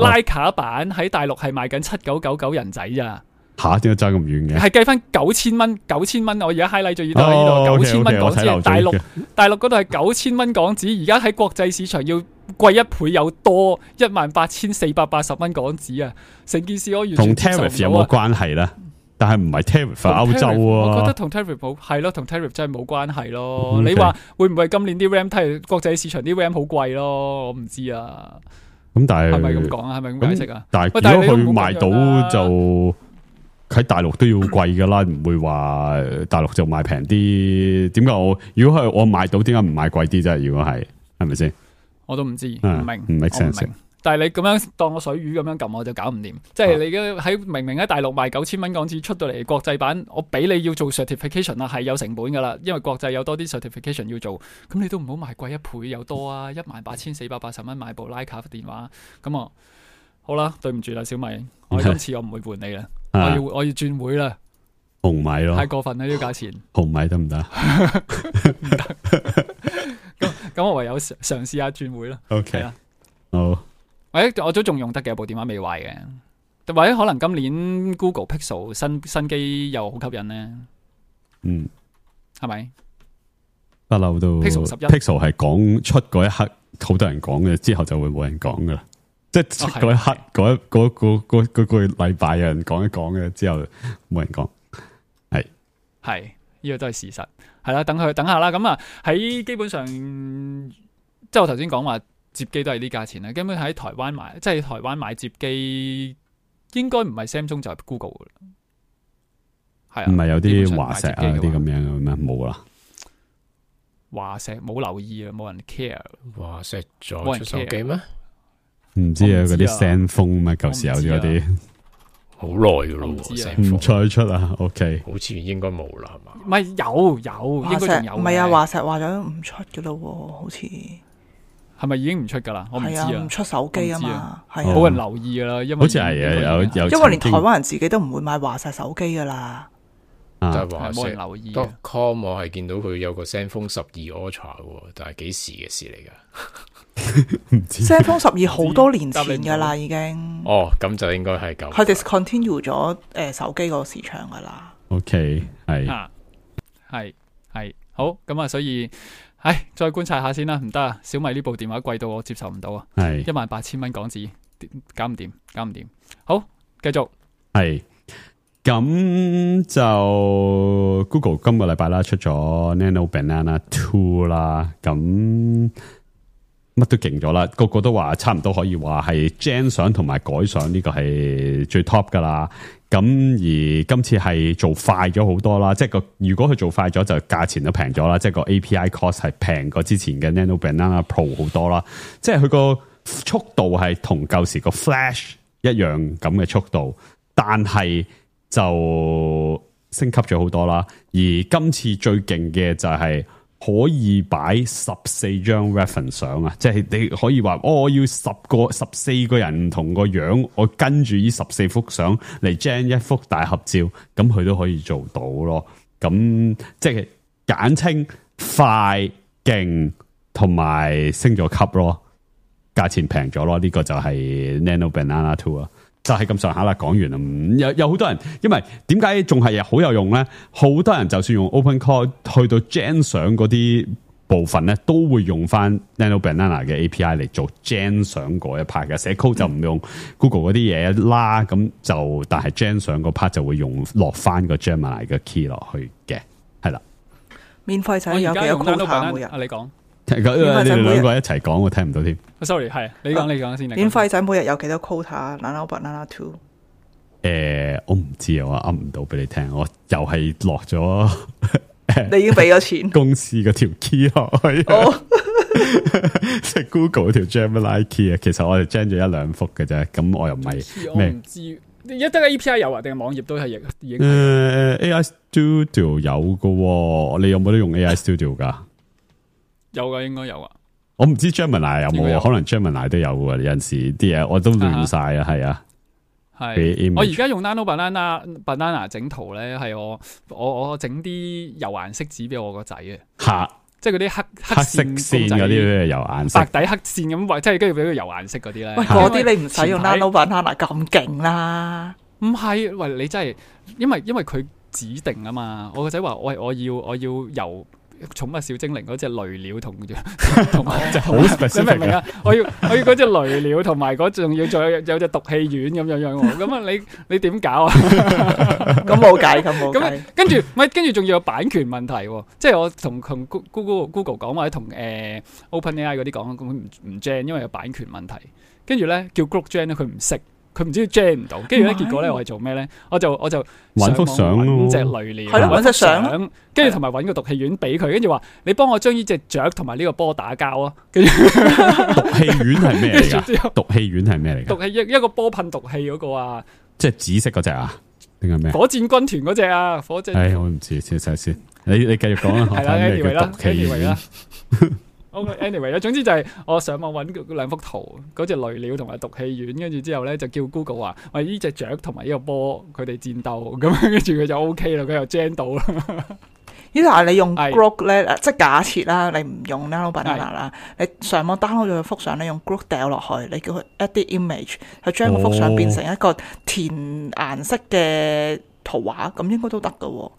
拉卡版喺大陸係賣緊七九九九人仔咋，吓，點解爭咁遠嘅？係計翻九千蚊，九千蚊。我而家 highlight 咗呢度，呢哦度九 OK，OK，千蚊港我睇漏咗紙。大陸嘅大陸嗰度係九千蚊港紙，而家喺國際市場要貴一倍有多，一萬八千四百八十蚊港紙啊！成件事我完同全接受唔 tariff 有冇到啊！關係咧？但係唔係 tariff 係歐洲我覺得啊？同 tariff 冇係咯，同 tariff 真係冇關係咯。 OK 你話會唔會今年啲 RAM 睇國際市場啲 RAM 好貴咯？我唔知啊，咁但係係咪咁講啊？係咪咁解釋啊？但喂但係係如果佢你都唔好賣咁樣啦到就喺大陸都要貴噶啦，唔會話大陸就賣平啲。點解我如果係我買到，點解唔買貴啲啫？如果係係咪先？我都唔知，唔啊明，唔 make 我唔 sense 明。但係你咁樣當我水魚咁樣撳，我就搞唔掂。即係你嘅喺明明喺大陸賣九千蚊港紙出到嚟國際版，我俾你要做 certification 啦，係有成本噶啦，因為國際有多啲 certification 要做。咁你都唔好賣貴一倍有多啊！一萬八千四百八十蚊買部徠卡電話，咁啊好啦，對唔住啦，小米，我今次我唔會換你啦，我啊要我要轉會啦，紅米咯太，過分啦呢個價錢。紅米得唔得咁咁我唯有嘗嘗試下轉會啦。係？OK，啦好，或者我都仲用得嘅，部電話未壞嘅，或者可能今年 Google Pixel 新新機又好吸引呢，嗯，係咪？不嬲都 Pixel 十一 Pixel 係講出嗰一刻，好多人講嘅，之後就會冇人講噶啦。即係出嗰一刻，嗰一嗰嗰嗰嗰個禮拜有人講一講嘅，之後冇人講。係係呢個都係事實，係啦，等佢等下啦。咁啊喺基本上，即係我頭先講話摺機都係呢價錢啦。根本喺台灣買，即係台灣買摺機，應該唔係 Samsung 就係 Google 噶啦。係啊，唔係有基本上啲華碩啊買摺機嘅話嗰啲咁樣嘅咩？冇啦。華碩冇留意啊，冇人 care。哇！石咗冇人出手 care 機咩？唔知啊，我唔知啊嗰啲 Zenfone 咩？舊時有啲嗰啲好耐噶咯我唔知啊喎，唔再出啊。OK，好似應該冇啦，係嘛？唔係有有，華應該仲有嘅。碩唔係啊，華碩話咗唔出嘅咯喎，好似係咪已經唔出㗎啦？我唔知係啊，唔啊，出手機啊我唔知嘛啊，係哦冇啊，人留意㗎啦，因為好似係啊，有有，因為連台曾經灣人自己都唔會買華碩手機噶啦。啊但係華係冇人碩留意嘅 dot com 我係見到佢有個 Zenfone 十二 Ultra 喎，但係幾時嘅事嚟㗎？唔知 Samsung 十二好多年答你唔到前噶啦，已經哦，咁就應該係舊。佢 discontinue 咗誒手機個市場噶啦。 OK 係啊，係係好咁啊，所以唉，再觀察下先啦，唔得啊，小米呢部電話貴到我接受唔到啊，係一萬八千蚊港紙，搞唔掂，搞唔掂。好，繼續係咁就 Google 今個禮拜啦出咗 Nano Banana Two 啦，咁乜都勁咗啦，個個都話差唔多可以話係 Gen 相同埋改相呢個係最 top 噶啦。咁而今次係做快咗好多啦，即係個如果佢做快咗就價錢都平咗啦，即係個 A P I cost 係平過之前嘅 Nano Banana Pro 好多啦，即係佢個速度係同舊時個 Flash 一樣咁嘅速度，但係就升級咗好多啦。而今次最勁嘅就係可以擺十四張 reference 相啊，即係你可以話哦，我要十個十四個人唔同個樣，我跟住呢十四幅相嚟 gen 一幅大合照，咁佢都可以做到咯。咁即係簡稱快勁同埋升咗級咯，價錢平咗咯。呢、這個就係 Nano Banana Two 啊。就係咁上下啦，講完啦。嗯有有好多人，因為點解仲係好有用咧？好多人就算用 OpenCore 去到 Gen 相嗰啲部分咧，都會用翻 Nano Banana 嘅 A P I 嚟做 Gen 相嗰一 part 嘅。寫 code 就唔用 Google 嗰啲嘢啦，咁就但係 Gen 相嗰 part 就會用落翻個 Gemini 嘅 key 落去嘅，係啦。免費仔我有幾多而家用 Nano quota 每日？Banana 啊，你講你哋兩個一齊講，我聽唔到添。 ，sorry，係你講，你講先。你講免費仔每日有幾多 quota？Nano Banana Two 誒，我唔知啊，我噏唔到俾你聽。我又係落咗你已經俾咗錢。公司嗰條 key 落去。哦即係 Google 條 Gemini Key 啊，其實我哋 gen 咗一兩幅嘅啫，咁我又唔係我咩唔知，一得 A P I 有啊，定係網頁都係已已經誒、呃、A I Studio 有嘅喎，你有冇得用 A I Studio 噶？有噶，應該有啊。我唔知 Gemini 有冇，應該有可能 Gemini 都有嘅，有陣時啲嘢我都亂晒啊，係啊。俾係 image 我而家用 Nano Banana Banana 整圖咧，係我我我整啲油顏色紙俾我個仔嘅，吓即係嗰啲黑黑色線嗰啲油顏色白，底黑線咁，或即係跟住俾佢油顏色嗰啲咧。喂，嗰啲你唔使用前排 Nano Banana 咁勁啦。唔係，喂，你真係，因為因為佢指定啊嘛，我個仔話，喂，我要我要由寵物小精靈嗰隻雷鳥同同埋好你 specific 明唔明啊？我要我要嗰隻雷鳥同埋嗰仲要再有有隻毒氣丸咁樣樣喎，咁啊你你點搞啊？咁冇計，咁冇計咁。跟住咪跟住仲要有版權問題喎，即係我同同 Google Google 講或者同誒 OpenAI 嗰啲講，咁唔唔 gen，因為有版權問題。跟住咧叫 Grok gen 咧，佢唔識。佢唔知 gen 唔到，跟住咧結果咧我係做咩咧？我就我就搵幅相咯揾隻雷鳥，係咯揾隻相揾幅跟住同埋揾個毒氣丸俾佢，跟住話你幫我將呢隻雀同埋呢個波打交啊！跟住毒氣丸係咩嚟之後噶？毒氣丸係咩嚟噶？毒氣一一個波噴毒氣嗰個啊，即係紫色嗰隻啊？定係咩？火箭軍團嗰隻啊，火箭。唉，我唔知，先睇先。你你繼續講啦，係啦，anyway 啦毒氣，anyway 啦丸。 OK，anyway 啦，總之就係我上網揾兩幅圖，嗰隻雷鳥同埋毒氣丸，跟住之後咧就叫 Google 話，喂呢隻雀同埋呢個波佢哋戰鬥，咁跟住佢就 OK 啦，佢又 gen 到啦。呢但係你用係 Grok 咧，即係假設啦，你唔用 Nano Banana 啦，你上網 download 咗幅相咧，用 Grok 掉落去，你叫佢 edit image，佢將嗰幅相變成一個填顏色嘅圖畫，咁應該都得噶喎。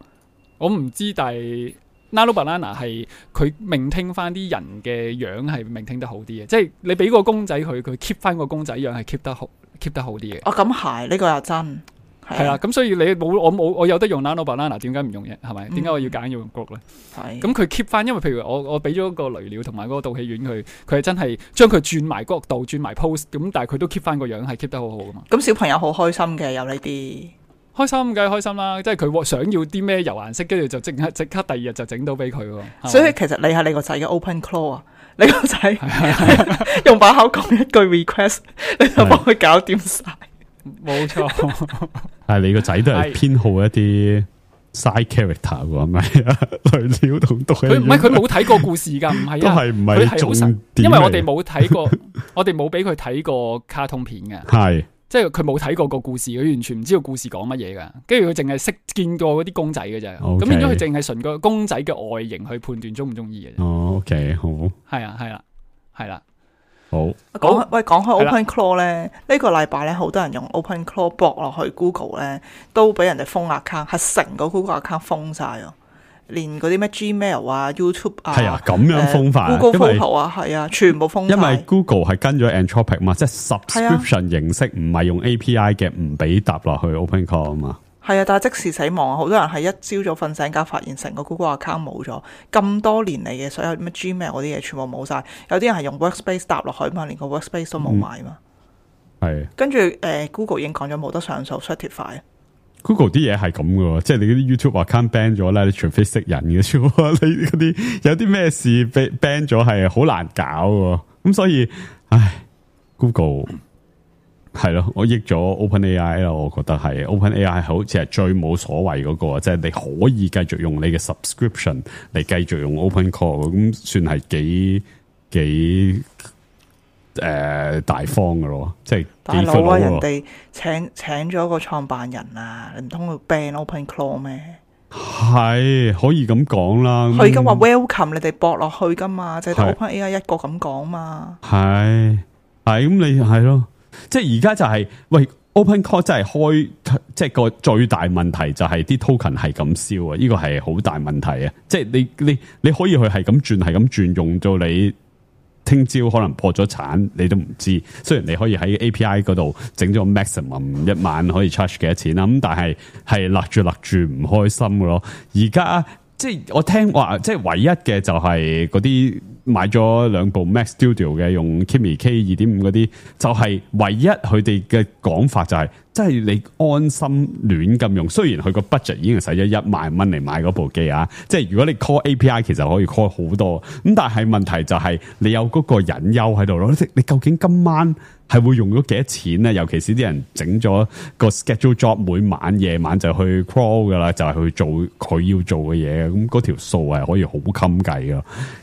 我唔知，但係 Nano Banana 係佢命聽翻啲人嘅樣係命聽得好啲嘅，即係你俾個公仔佢，佢 keep 翻個公仔樣係 keep 得好 keep 得好啲嘅。哦，咁係呢個又真係啦，咁所以你冇我冇我有得用 Nano Banana，點解唔用嘅？係咪？點解我要揀要用 Grok 咧？係咁佢 keep 翻，因為譬如我我俾咗個雷鳥同埋嗰個毒氣丸佢，佢係真係將佢轉埋角度、轉埋 pose，咁但係佢都 keep 翻個樣係 keep 得好好噶嘛。咁小朋友好開心嘅，有呢啲。開心梗係開心啦，即係佢想要啲咩油顏色，跟住就即刻即刻第二日就整到俾佢喎。所以其實你係你個仔嘅 Open Claw 啊，你個仔用把口講一句 request， 你就幫佢搞掂晒。冇錯，係你個仔都係偏好一啲 side character 喎，係咪啊？雷鳥同毒氣丸，佢唔係佢冇睇過故事㗎，唔係都啊，係唔係重點嚟，因為我哋冇睇過，我哋冇俾佢睇過卡通片嘅。係。即係佢冇睇過個故事，佢完全唔知道故事講乜嘢噶。跟住佢淨係識見過嗰啲公仔嘅啫。咁 Okay 變咗佢淨係純個公仔嘅外形去判斷中唔中意嘅啫。哦，OK，好，係啊，係啦，係啦。好。講喂，講開係啦 Open Claw 咧，呢個禮拜咧，好多人用 Open Claw 駁落去 Google 咧，都俾人哋封 account，係成個 Google account 封晒啊！連嗰啲咩 Gmail 啊、YouTube 啊，係啊，咁樣封法啊，呃 Google 因為 Photo 啊，係啊，全部封晒。因為 Google 係跟咗 Anthropic 嘛，即係 subscription 形式，唔係用 A P I 嘅，唔俾搭落去 Open Call 啊嘛。係啊，但係即時死亡啊！好多人係一朝早瞓醒覺，發現成個 Google account 冇咗，咁多年嚟嘅所有咩 Gmail 嗰啲嘢全部冇晒。有啲人係用 Workspace 搭落去嘛，連個 Workspace 都冇埋嘛。係、嗯。跟住誒、呃、Google 已經講咗冇得上訴 certify。Google 啲嘢係咁噶，即係你嗰啲 YouTube account ban 咗咧，你除非識人嘅啫。你嗰啲有啲咩事被 ban 咗係好難搞嘅，咁所以，唉 ，Google 係咯，我益咗 OpenAI 啦，我覺得係 OpenAI 好似係最冇所謂嗰個，即係你可以繼續用你嘅 subscription 嚟繼續用 Open Call，咁算係幾幾。誒、呃，大方嘅咯，即係大佬啊！人哋請請咗個創辦人啊，你唔通要 ban Open Claw 咩？係可以咁講啦。佢而家話 welcome 你哋駁落去噶嘛，就係得 OpenAI 一個咁講嘛。係係咁你係咯，即係而家就係、是、喂 Open Claw 真係開，即係個最大問題就係啲 token 係咁燒啊！呢個係好大問題啊！即係你你你可以去係咁轉，係咁轉，用到你。聽朝可能破咗產，你都唔知。雖然你可以喺 A P I 嗰度整咗 maximum 一晚可以 charge 幾多錢啦，咁但係係勒住勒住唔開心嘅咯。而家即係我聽話，即係唯一嘅就係嗰啲買咗兩部 Mac Studio 嘅，用 Kimi K 二點五嗰啲，就係、是、唯一佢哋嘅講法就係、是，即係你安心亂咁用。雖然佢個 budget 已經係使咗一萬蚊嚟買嗰部機啊，即係如果你 call A P I 其實可以 call 好多，咁但係問題就係你有嗰個隱憂喺度咯。你究竟今晚係會用咗幾多錢咧？尤其是啲人整咗個 schedule job，每晚夜晚就去 crawl 噶啦，就係、是、去做佢要做嘅嘢。咁嗰條數係可以好襟計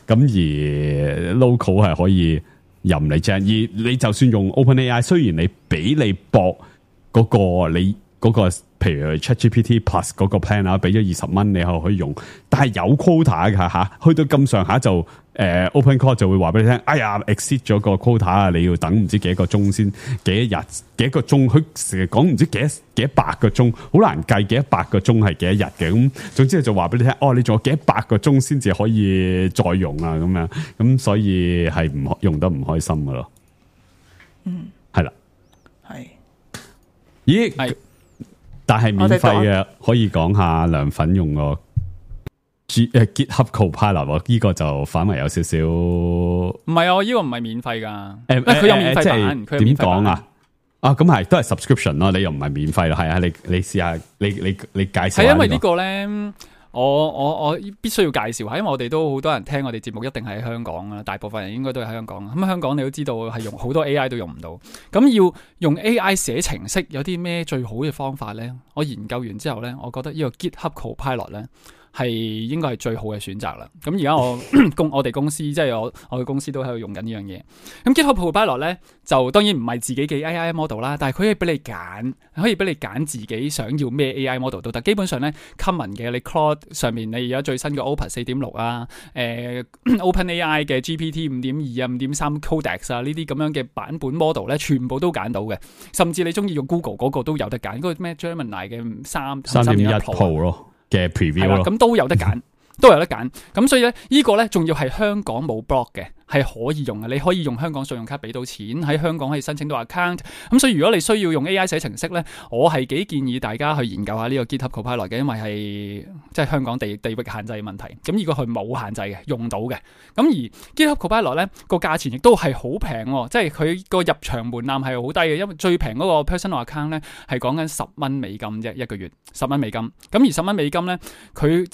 噶。咁而 local 係可以任你掟。而你就算用 OpenAI， 雖然你俾你博嗰、那個你嗰、那個，譬如 ChatGPT Plus 嗰個 plan 啊，俾咗二十蚊你可可以用，但係有 quota 㗎吓，去到咁上下就。誒、呃、OpenClaw 就會話俾你聽，哎呀 exceed 咗個 quota 啊，你要等唔知幾多個鐘先，幾多日幾多個鐘，佢成日講唔知幾多幾多百個鐘，好難計幾多百個鐘係幾多日嘅。咁總之就話俾你聽，哦，你仲有幾多百個鐘先至可以再用啊，咁樣咁所以係唔用得唔開心噶咯。嗯，係啦，係，咦，係，但係免費嘅可以講下涼粉用個。G 誒 GitHub Copilot 呢個就反為有少少，唔係啊，呢個唔係免費噶，誒佢有免費版，佢點講啊？啊，咁係都係 subscription 咯，你又唔係免費咯，係啊，你你試下，你你你介紹下。係因為呢個咧，我我我必須要介紹下，因為我哋都好多人聽我哋節目，一定係喺香港啊，大部分人應該都係喺香港。咁香港你都知道係用好多 A I 都用唔到，咁要用 A I 寫程式有啲咩最好嘅方法咧？我研究完之後咧，我覺得呢個 GitHub Copilot 咧。係應該係最好嘅選擇啦。咁而家我公我哋公司即係我我嘅公司都喺度用緊呢樣嘢。咁 GitHub Copilot 咧就當然唔係自己嘅 A I model 啦，但係佢可以俾你揀，可以俾你揀自己想要咩 A I model 都得。基本上咧 common 嘅你 Claude 上面你而家最新嘅 Opus 四點六啊，誒 OpenAI 嘅 G P T 五點二啊、五點三 Codex 啊呢啲咁樣嘅版本 model 咧，全部都揀到嘅。甚至你中意用 Google 嗰個都有得揀，嗰、嗰個咩 Gemini 嘅三三點一 Pro 咯。嘅 preview 咯，咁都有得揀，都有得揀。咁所以咧，呢個咧仲要係香港冇 block 嘅，係可以用嘅。你可以用香港信用卡俾到錢，喺香港可以申請到 account。咁所以如果你需要用 A I 寫程式咧，我係幾建議大家去研究下呢個 GitHub Copilot 嘅，因為係即係香港地地域限制嘅問題。咁呢個佢冇限制嘅，用到嘅。咁而 GitHub Copilot 咧個價錢亦都係好平喎，即係佢個入場門檻係好低嘅，因為最平嗰個 personal account 咧係講緊十蚊美金啫，一個月十蚊美金。咁而十蚊美金咧，佢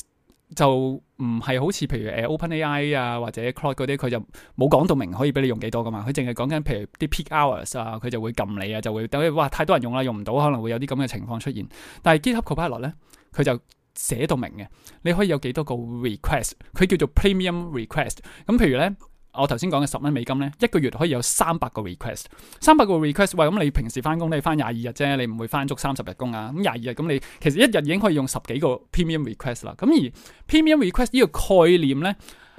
就唔係好似譬如誒 OpenAI 啊或者 Claude 嗰啲，佢就冇講到明可以俾你用幾多噶嘛，佢淨係講緊譬如啲 peak hours 啊，佢就會撳你啊，就會等哇太多人用啦，用唔到，可能會有啲咁嘅情況出現。但係 GitHub Copilot 咧，佢就寫到明嘅，你可以有幾多個 request， 佢叫做 premium request。咁譬如咧，我頭先講嘅十蚊美金咧，一個月可以有三百個 request， 三百個 request。喂，咁你平時翻工你翻廿二日啫，你唔會翻足三十日工啊。咁廿二日咁你其實一日已經可以用十幾個 premium request 啦。咁而 premium request 呢個概念咧，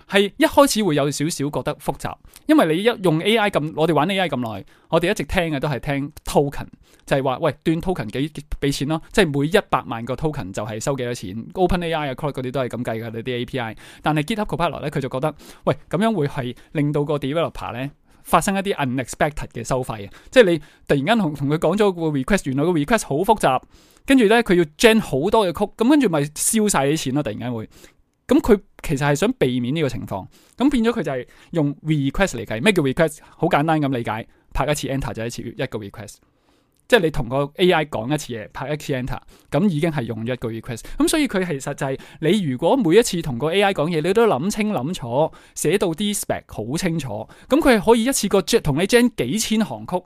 係一開始會有少少覺得複雜，因為你一用 A I 咁，我哋玩 A I 咁耐，我哋一直聽嘅都係聽 token， 就係話喂斷 token 幾俾錢咯，即係每一百萬個 token 就係收幾多錢。OpenAI 啊 Claude 嗰啲都係咁計㗎，你啲 A P I。但係 GitHub Copilot 咧，佢就覺得喂咁樣會係令到個 developer 咧發生一啲 unexpected 嘅收費，即係你突然間同同佢講咗個 request， 原來個 request 好複雜，跟住咧佢要 gen 好多嘅 code，咁跟住咪燒晒啲錢咯，突然間會。咁佢其實係想避免呢個情況，咁變咗佢就係用 request 嚟計。咩叫 request？ 好簡單咁理解，拍一次 enter 就一次一個 request， 即係你同個 A I 講一次嘢，拍一次 enter， 咁已經係用一個 request。咁所以佢其實就係你如果每一次同個 A I 講嘢，你都諗清諗楚，寫到啲 spec 好清楚，咁佢係可以一次過同你 gen 幾千行曲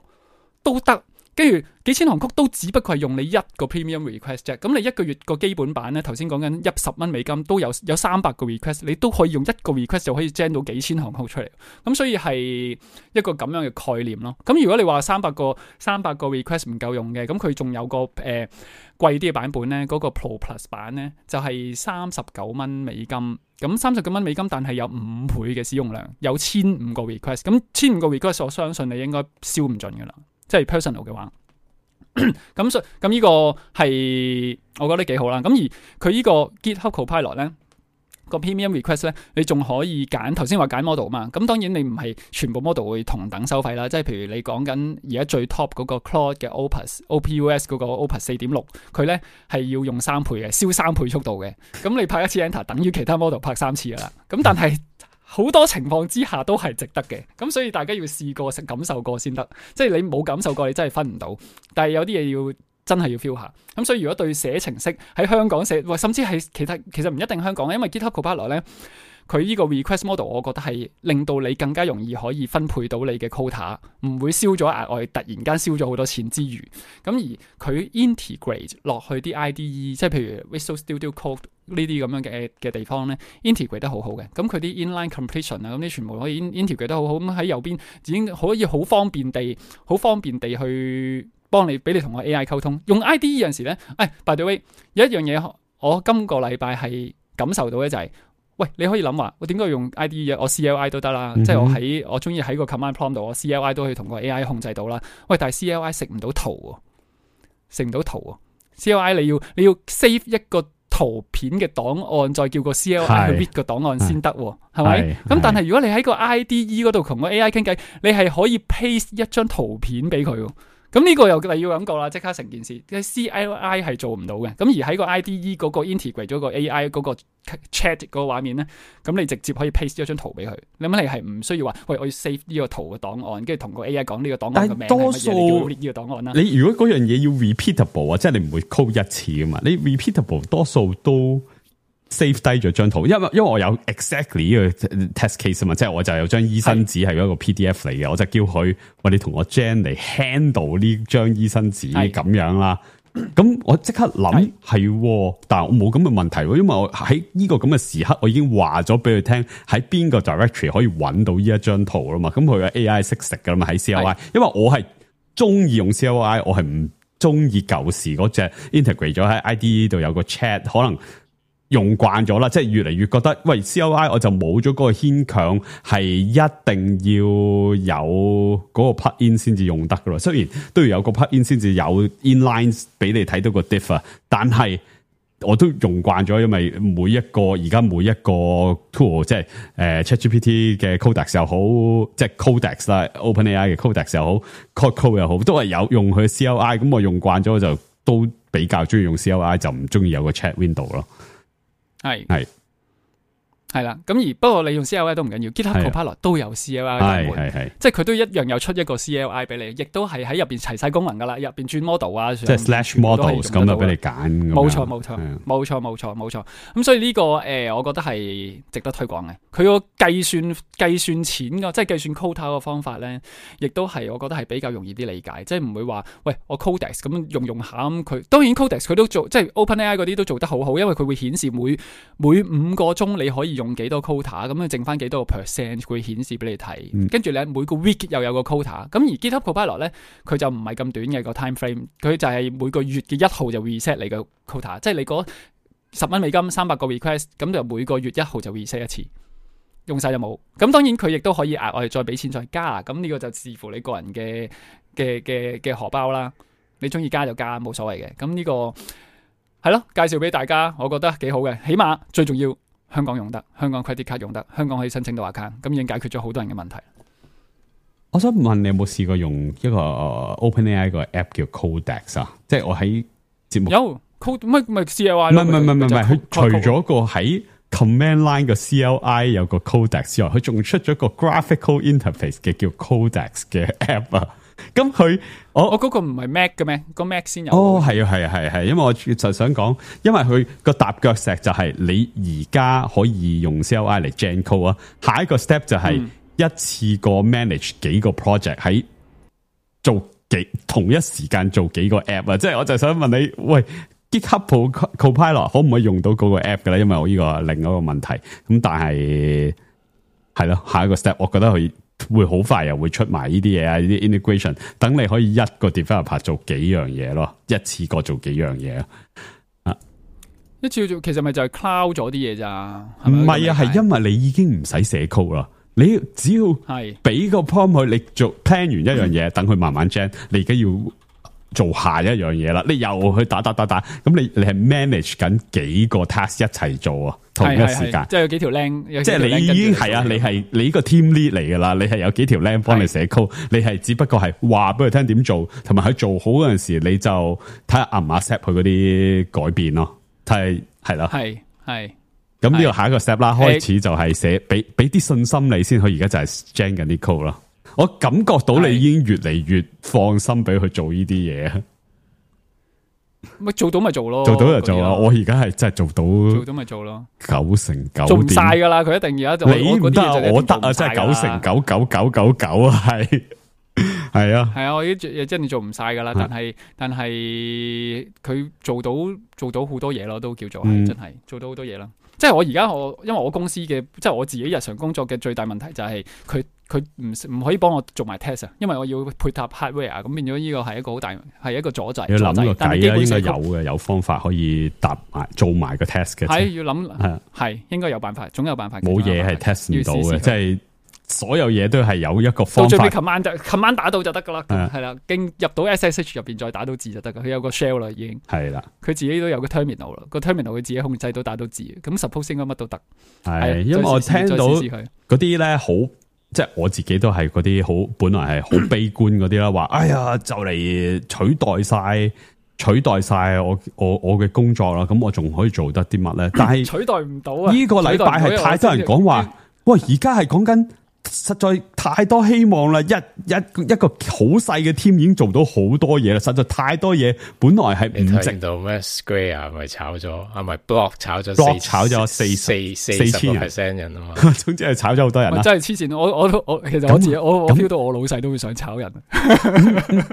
都得。跟住幾千行曲都只不過係用你一個 premium request 啫，咁你一個月個基本版咧，頭先講緊一十蚊美金都有有三百個 request， 你都可以用一個 request 就可以 gen 到幾千行曲出嚟，咁所以係一個咁樣嘅概念咯。咁如果你話三百個三百個 request 唔夠用嘅，咁佢仲有個誒貴啲嘅版本咧，嗰、那個 Pro Plus 版咧就係三十九蚊美金，咁三十九蚊美金，但係有五倍嘅使用量，有千五個 request， 咁千五個 request 我相信你應該燒唔盡噶啦。即係 personal 嘅話，咁所咁呢個係我覺得幾好啦。咁而佢呢個 GitHub Copilot 咧個 premium request 咧，你仲可以揀頭先話揀 model 嘛。咁當然你唔係全部 model 會同等收費啦。即係譬如你講緊而家最 top 嗰個 Claude 嘅 Opus O P U S 嗰個 Opus 四點六，佢咧係要用三倍嘅，燒三倍速度嘅。咁你拍一次 enter 等於其他 model 拍三次噶啦。咁但係好多情況之下都係值得嘅，咁所以大家要試過、感受過先得。即係你冇感受過，你真係分唔到。但係有啲嘢要真係要 feel 下。咁所以如果對寫程式喺香港寫，或甚至係其他，其實唔一定香港，因為 GitHub Copilot 咧，佢呢個 request model， 我覺得係令到你更加容易可以分配到你嘅 quota， 唔會燒咗額外，突然間燒咗好多錢之餘，咁而佢 integrate 落去啲 I D E， 即係譬如 Visual Studio Code 呢啲咁樣嘅嘅地方咧 ，integrate 得好好嘅。咁佢啲 inline completion 啊，咁啲全部可以 integrate 得好好。咁喺右邊已經可以好方便地、好方便地去幫你，俾你同個 A I 溝通。用 I D E 有陣時咧，誒 by the way 有一樣嘢，我今個禮拜係感受到嘅就係、是。喂，你可以諗話，我點解用 I D E 嘅？我 C L I 都得啦，嗯、即係我喺我中意喺個 command prompt 度，我 C L I 都可以同個 A I 控制到啦。喂，但係 C L I 食唔到圖喎，食唔到圖喎。C L I 你要你要 save 一個圖片嘅檔案，再叫個 C L I 去 read 個檔案先得喎，係咪？咁但係如果你喺個 I D E 嗰度同個 A I 傾偈，你係可以 paste 一張圖片俾佢。咁呢個又例要咁講啦，即刻成件事，即係 C L I 係做唔到嘅。咁而喺個 I D E 嗰個 integrate 咗個 A I 嗰個 chat 嗰個畫面咧，咁你直接可以 paste 一張圖俾佢。你諗你係唔需要話，喂，我要 save 呢個圖嘅檔案，跟住同個 A I 講呢個檔案嘅名係乜嘢，多數你叫 read 呢個檔案啦。你如果嗰樣嘢要 repeatable 啊，即係你唔會 code 一次噶嘛，你 repeatable 多數都 save 低咗張圖，因為因為我有 exactly 呢個 test case 啊嘛，即係我就有張醫生紙係一個 P D F 嚟嘅，我就叫佢喂，你同我 Jen 嚟 handle 呢張醫生紙咁樣啦。咁我即刻諗係，但係我冇咁嘅問題，因為我喺呢個咁嘅時刻，我已經話咗俾佢聽喺邊個 directory 可以揾到呢一張圖啦嘛。咁佢嘅 A I 識食噶啦嘛喺 C L I， 因為我係中意用 C L I， 我係唔中意舊時嗰隻 integrate 咗喺 I D E 度有個 chat， 可能。用慣咗啦，即係越嚟越覺得，喂 C L I 我就冇咗嗰個牽強，係一定要有嗰個 plugin 先至用得噶咯。雖然都要有個 plugin 先至有 inlines 俾你睇到個 diff 啊，但係我都用慣咗，因為每一個而家每一個 tool， 即係誒 ChatGPT 嘅 Codex 又好，即係 Codex 啦 ，OpenAI 嘅 Codex 又好 ，Code 又好，都係有用佢 C L I。咁我用慣咗，就都比較中意用 C L I， 就唔中意有個 chat window 咯。係係係啦，咁而不過你用 C L I 都唔緊要 ，GitHub Copilot 都有 C L I 嘅，係係，即係佢都一樣有出一個 C L I 俾你，亦都係喺入邊齊晒功能噶啦，入邊轉 model 啊，即係 slash models 咁就俾你揀。冇錯冇錯冇錯冇錯冇錯，咁所以呢、這個誒、呃，我覺得係值得推廣嘅。佢個計算計算錢個，即係計算 quota 個方法咧，亦都係我覺得係比較容易啲理解，即係唔會話喂我 Codex 咁用用下咁佢，當然 Codex 佢都做，即係 OpenAI 嗰啲都做得好好，因為佢會顯示每每五個鐘你可以用幾多 quota。咁佢剩翻幾多個 percent 會顯示俾你睇，跟住你每個 week 又有個 quota，咁而 GitHub Copilot 咧，佢就唔係咁短嘅個 time frame，佢就係每個月嘅一號就 reset 你個 quota， 即係你嗰十蚊美金三百個 request，咁就每個月一號就 reset 一次，用晒就冇。咁當然佢亦都可以額外再俾錢再加，咁呢個就視乎你個人嘅嘅嘅嘅荷包啦，你中意加就加，冇所謂嘅。咁呢個係咯，介紹俾大家，我覺得幾好嘅，起碼最重要。香港用得，香港 credit card 用得，香港可以申請到 account， 咁已經解決咗好多人嘅問題。我想問你有冇試過用一個 OpenAI 個 app 叫 Codex 啊？即係我喺節目有 Code 乜咪 C L I 唔係唔係唔係唔係，佢除咗咗個喺 command line 嘅 C L I 有個 Codex 之外，佢仲出咗個 graphical interface 嘅叫 Codex 嘅 app 啊。咁佢我我嗰個唔係 Mac 嘅咩？個 Mac 先有。哦，係啊，係啊，係係，因為我就想講，因為佢個踏腳石就係你而家可以用 C L I 嚟 gen code 啊，下一個 step 就係一次過 manage 幾個 project 喺做幾同一時間做幾個 app 啊，即係我就想問你，喂 GitHub Copilot 可唔可以用到嗰個 app 嘅咧？因為我呢個另一個問題，咁但係係咯，下一個 step 我覺得佢。會好快又會出埋呢啲嘢啊，呢啲 integration， 等你可以一個 developer 做幾樣嘢咯，一次過做幾樣嘢啊！一次做其實咪就係 cloud 咗啲嘢咋？唔係啊，係因為你已經唔使寫 code 啦，你只要係俾個 prompt 佢，你做 plan 完一樣嘢，等佢慢慢 gen， 你而家要做下一樣嘢啦，你又去打打打打，咁你你係 manage 緊幾個 task 一齊做啊？同一時間，即係有幾條靚，即係你已經係啊！你係你呢個 team lead 嚟噶啦，你係有幾條靚幫你寫 code，你係只不過係話俾佢聽點做，同埋佢做好嗰陣時，你就睇下 accept 佢嗰啲改變咯，睇係咯，係係咁呢個下一個 step 啦，開始就係寫俾俾啲信心你先，佢而家就係 gen 緊啲 code 咯。我感覺到你已經越嚟越放心俾佢做呢啲嘢。咪做到咪做咯，做到就做啦。我而家係真係做到，做到咪做咯，九成九做唔晒噶啦。佢一定而家就你唔得啊，我得啊，真係九成九九九九九啊，係係啊，係啊，我已經真係做唔晒噶啦。但係但係佢做到做到好多嘢咯，都叫做係、嗯、真係做到好多嘢啦。即係我而家我因為我公司嘅即係我自己日常工作嘅最大問題就係佢佢唔唔可以幫我做埋 test 啊，因為我要配搭 hardware 咁變咗呢個係一個好大係一個阻滯。要諗個計啊，應該有嘅，有方法可以搭埋做埋個 test 嘅。係要諗係係應該有辦法，總有辦法。冇嘢係 test 唔到嘅，即係所有嘢都係有一個方法。到最尾 command 就 command 打到就得噶啦，係啦，經入到 S S H 入邊再打到字就得噶。佢有個 shell 啦，已經係啦。佢自己都有個 terminal 啦，個 terminal 佢自己控制到打到字。咁 suppose 應該乜都得。係，因為我聽到嗰啲咧好。即係我自己都係嗰啲好，本來係好悲觀嗰啲啦，話哎呀就嚟取代晒取代晒我我我嘅工作啦，咁我仲可以做得啲乜咧？但係取代唔到啊！呢個禮拜係太多人講話，喂，而家係講緊實在太多希望啦！一一一個好細嘅 team 已經做到好多嘢啦，實在太多嘢，本來係唔值到咩 Square 咪炒咗，啊咪 Block 炒咗 Block 炒咗四四四四千 percent 人啊嘛，總之係炒咗好多人啦。真係黐線！我我我其實我自己我我 feel 到我老細都會想炒人。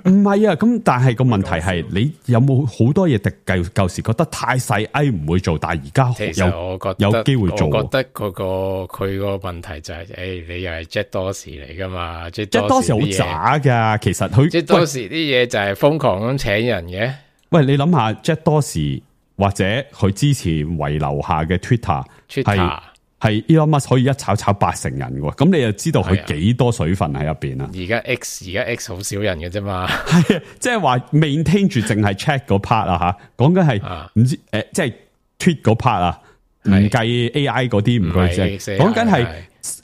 唔係啊，咁但係個問題係你有冇好多嘢？舊舊時覺得太細 ，A 唔會做，但係而家有有機會做。我覺得嗰個佢個問題就係，誒，你又係 Jack Dorsey 嚟噶嘛？Jack Dorsey 好渣噶，其實佢 Jack Dorsey啲嘢就係瘋狂咁請人嘅。喂，你諗下 Jack Dorsey 或者佢之前遺留下嘅 Twitter 係係 Elon Musk 可以一炒炒八成人嘅，咁你就知道佢幾多水分喺入邊啦。而家 X 而家 X 好少人嘅啫嘛，係啊，即係話 maintain 住淨係 check 嗰 part 啊吓，講緊係唔知誒，即係 tweet 嗰 part 啊，唔計 A I 嗰啲唔計啫，講緊係。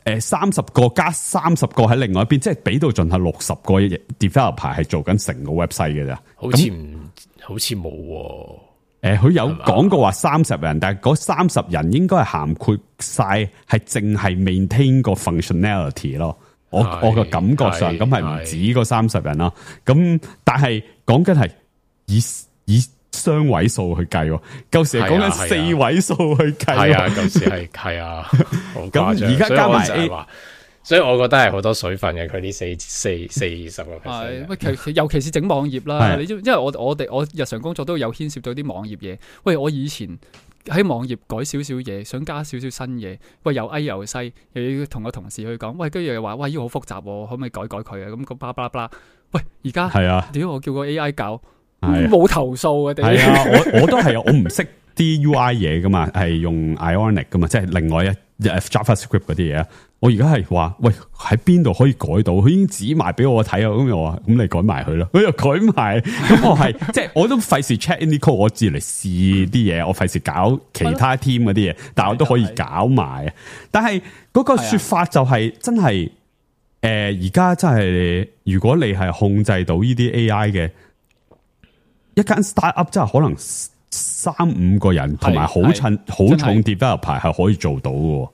誒，三十個加三十個喺另外一邊，即係俾到盡係六十個 developer 係做緊成個 website 嘅咋，好似唔好似冇誒，佢有講過話三十人，但係嗰三十人應該係涵括晒，係淨係 maintain 個 functionality 咯。我我個感覺上咁係唔止嗰三十人啦。咁但係講緊係以以。雙位數去計，舊時係講緊四位數去計。係啊，舊時係係啊，咁而家加埋 A，所以我覺得係好多水分嘅。佢呢四四四十個 percent。喂，其尤其是整網頁啦，你因為我我哋我日常工作都有牽涉到啲網頁嘢。喂，我以前喺網頁改少少嘢，想加少少新嘢，喂又 A 又西，又要同個同事去講，喂，跟住又話喂，呢個好複雜，可唔可以改改佢啊？咁個巴拉巴拉，喂，而家係啊，屌我叫個 A I 搞。冇投訴嘅，係啊！我我都係，我唔識啲 U I 嘢噶嘛，係用 Ionic 噶嘛，即係另外一 JavaScript 嗰啲嘢。我而家係話，喂，喺邊度可以改到？佢已經指埋俾我睇啊！咁我話，咁你改埋佢咯。佢又改埋，咁我係即係我都費事 check in 啲 code，我自嚟試啲嘢，我費事搞其他 team 嗰啲嘢，但係我都可以搞埋。但係嗰個說法就係、是、真係，誒、呃，而家真係，如果你係控制到呢啲 A I 嘅。一間 startup 真係可能三五個人，同埋好趁好重 developer 係可以做到嘅，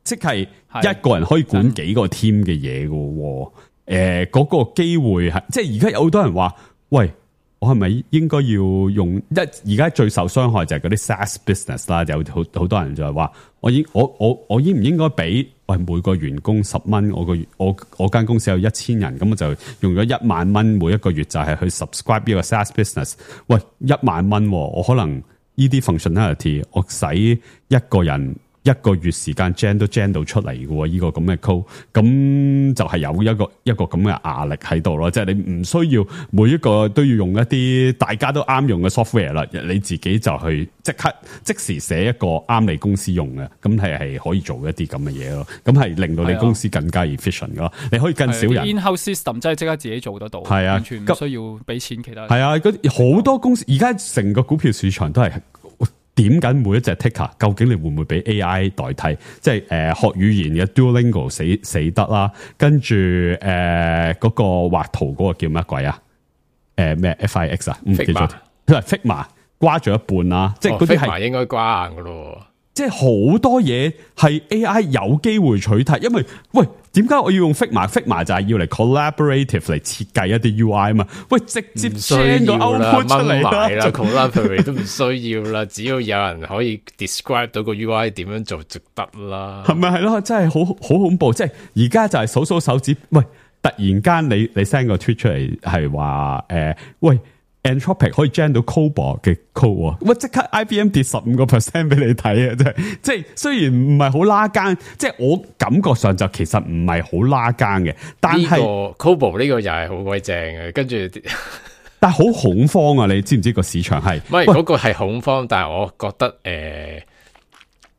即係一個人可以管幾個 team 嘅嘢嘅。誒，嗰、呃那個機會係，即係而家有好多人話，喂，我係咪應該要用一？而家最受傷害就係嗰啲 SaaS business 啦，有好好多人就係話，我應我我我應唔應該俾？喂，每個員工十蚊，我個月我我間公司有一千人，咁我就用咗一萬蚊，每一個月就係去 subscribe 呢個 SaaS business。喂，一萬蚊，我可能呢啲 functionality，我使一個人一個月時間 gen 都 gen 到出嚟嘅喎，呢個咁嘅 code，咁就係有一個一個咁嘅壓力喺度咯。即係你唔需要每一個都要用一啲大家都啱用嘅 software 啦，你自己就去即刻即時寫一個啱你公司用嘅，咁係係可以做一啲咁嘅嘢咯。咁係令到你公司更加 efficient 咯。你可以更少人 in-house system 真係即刻自己做得到，係啊，完全唔需要俾錢其他人。係啊，嗰好多公司而家成個股票市場都係。點緊每一隻 ticker， 究竟你會唔會俾 A I 代替？即係誒、呃、學語言嘅 Duolingo 死死得啦，跟住誒嗰個畫圖嗰個叫乜鬼啊？誒、呃、咩 F I X 啊？唔記得咗，佢係 Figma 瓜咗一半啦，即係嗰啲係 Figma 應該瓜硬噶咯。即係好多嘢係 A I 有機會取替，因為喂，點解我要用 Figma？Figma 就係要嚟 collaborative 嚟設計一啲 U I 啊嘛。喂，直接 send 個 output 出嚟啦 ，collaborate 都唔需要啦，只要有人可以 describe 到個 U I 點樣做就得啦。係咪係咯？真係好好恐怖！即係而家就係數數手指，喂，突然間你你 send 個 tweet 出嚟係話誒，喂。Anthropic 可以 generate 到 COBOL 嘅 code，喂，即刻 I B M 跌十五個 percent 俾你睇啊！真係，即係雖然唔係好拉更，即係我感覺上就其實唔係好拉更嘅，但係、這個、COBOL 呢個又係好鬼正嘅，跟住但係好恐慌啊！你知唔知個市場係？唔係嗰個係恐慌，但係我覺得誒、呃，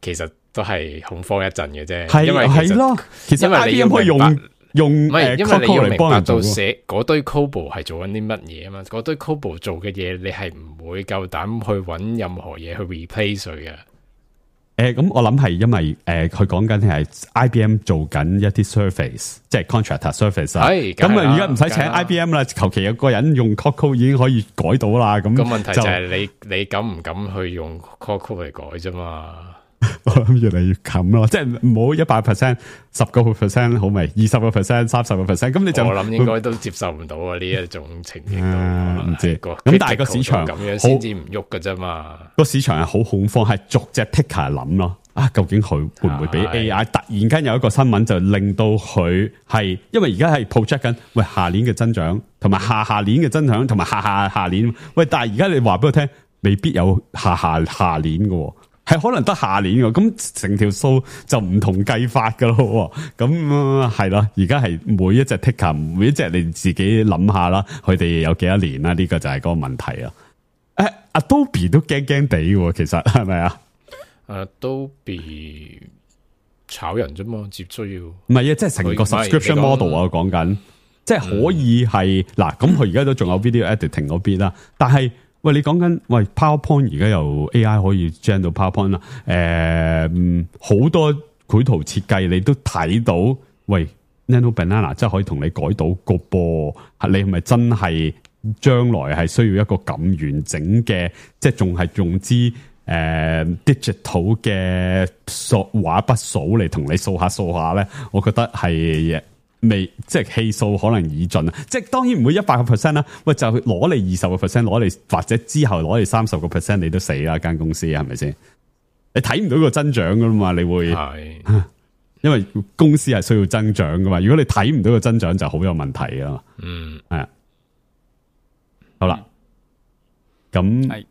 其實都係恐慌一陣嘅啫，係因為係咯，其實 I B M 可以用。用唔係，因為你要明白到寫嗰堆 COBOL 係做緊啲乜嘢啊嘛，嗰堆 COBOL 做嘅嘢，你係唔會夠膽去揾任何嘢去 replace 佢嘅。誒、呃，咁我諗係因為誒，佢講緊係 I B M 做緊一啲 surface，即係 contractor surface 啊。係，咁啊，而家唔使請 I B M 啦，求其有個人用 code 已經可以改到啦。咁個問題就係你你敢唔敢去用 code 嚟改啫嘛？我諗越嚟越近咯，即係唔好一百 percent， 十個 percent 好未？二十個 percent， 三十個 percent， 咁你就我諗應該都接受唔到啊！呢一種情形都唔知咁，但係個市場咁樣先至唔喐㗎啫嘛。個市場係好恐慌，係逐隻 ticker 諗咯。啊，究竟佢會唔會俾 A I 突然間有一個新聞就令到佢係，因為而家係 project 緊，喂下年嘅增長，同埋下下年嘅增長，同埋下下下年，喂，但係而家你話俾我聽，未必有下下下年嘅。係可能得下年嘅，咁成條數就唔同計法噶咯。咁係啦，而家係每一隻 ticker， 每一隻你自己諗下啦，佢哋有幾多年啦？呢、這個就係嗰個問題啊。誒，Adobe 都驚驚地嘅，其實係咪啊 ？Adobe 炒人啫嘛，接需要。唔係啊，即係成個 subscription model 啊，講緊，即係可以係嗱，咁佢而家都仲有 video editing 嗰邊啦，但係。喂，你講緊喂 PowerPoint 而家由 A I 可以 generate 到 PowerPoint 啦，誒，好多繪圖設計你都睇到，喂 Nano Banana 真係可以同你改到個波，你係咪真係將來係需要一個咁完整嘅，即係仲係用支誒、呃、digital 嘅數畫筆數嚟同你掃下掃下咧？我覺得係。未即係氣數可能已盡啊！即係當然唔會一百個 percent 啦。喂，就攞你二十個 percent， 攞你或者之後攞你三十個 percent， 你都死啦！間公司係咪先？你睇唔到個增長噶啦嘛？你會係，因為公司係需要增長噶嘛。如果你睇唔到個增長，就好有問題啊嘛。嗯，係啊。好啦，咁係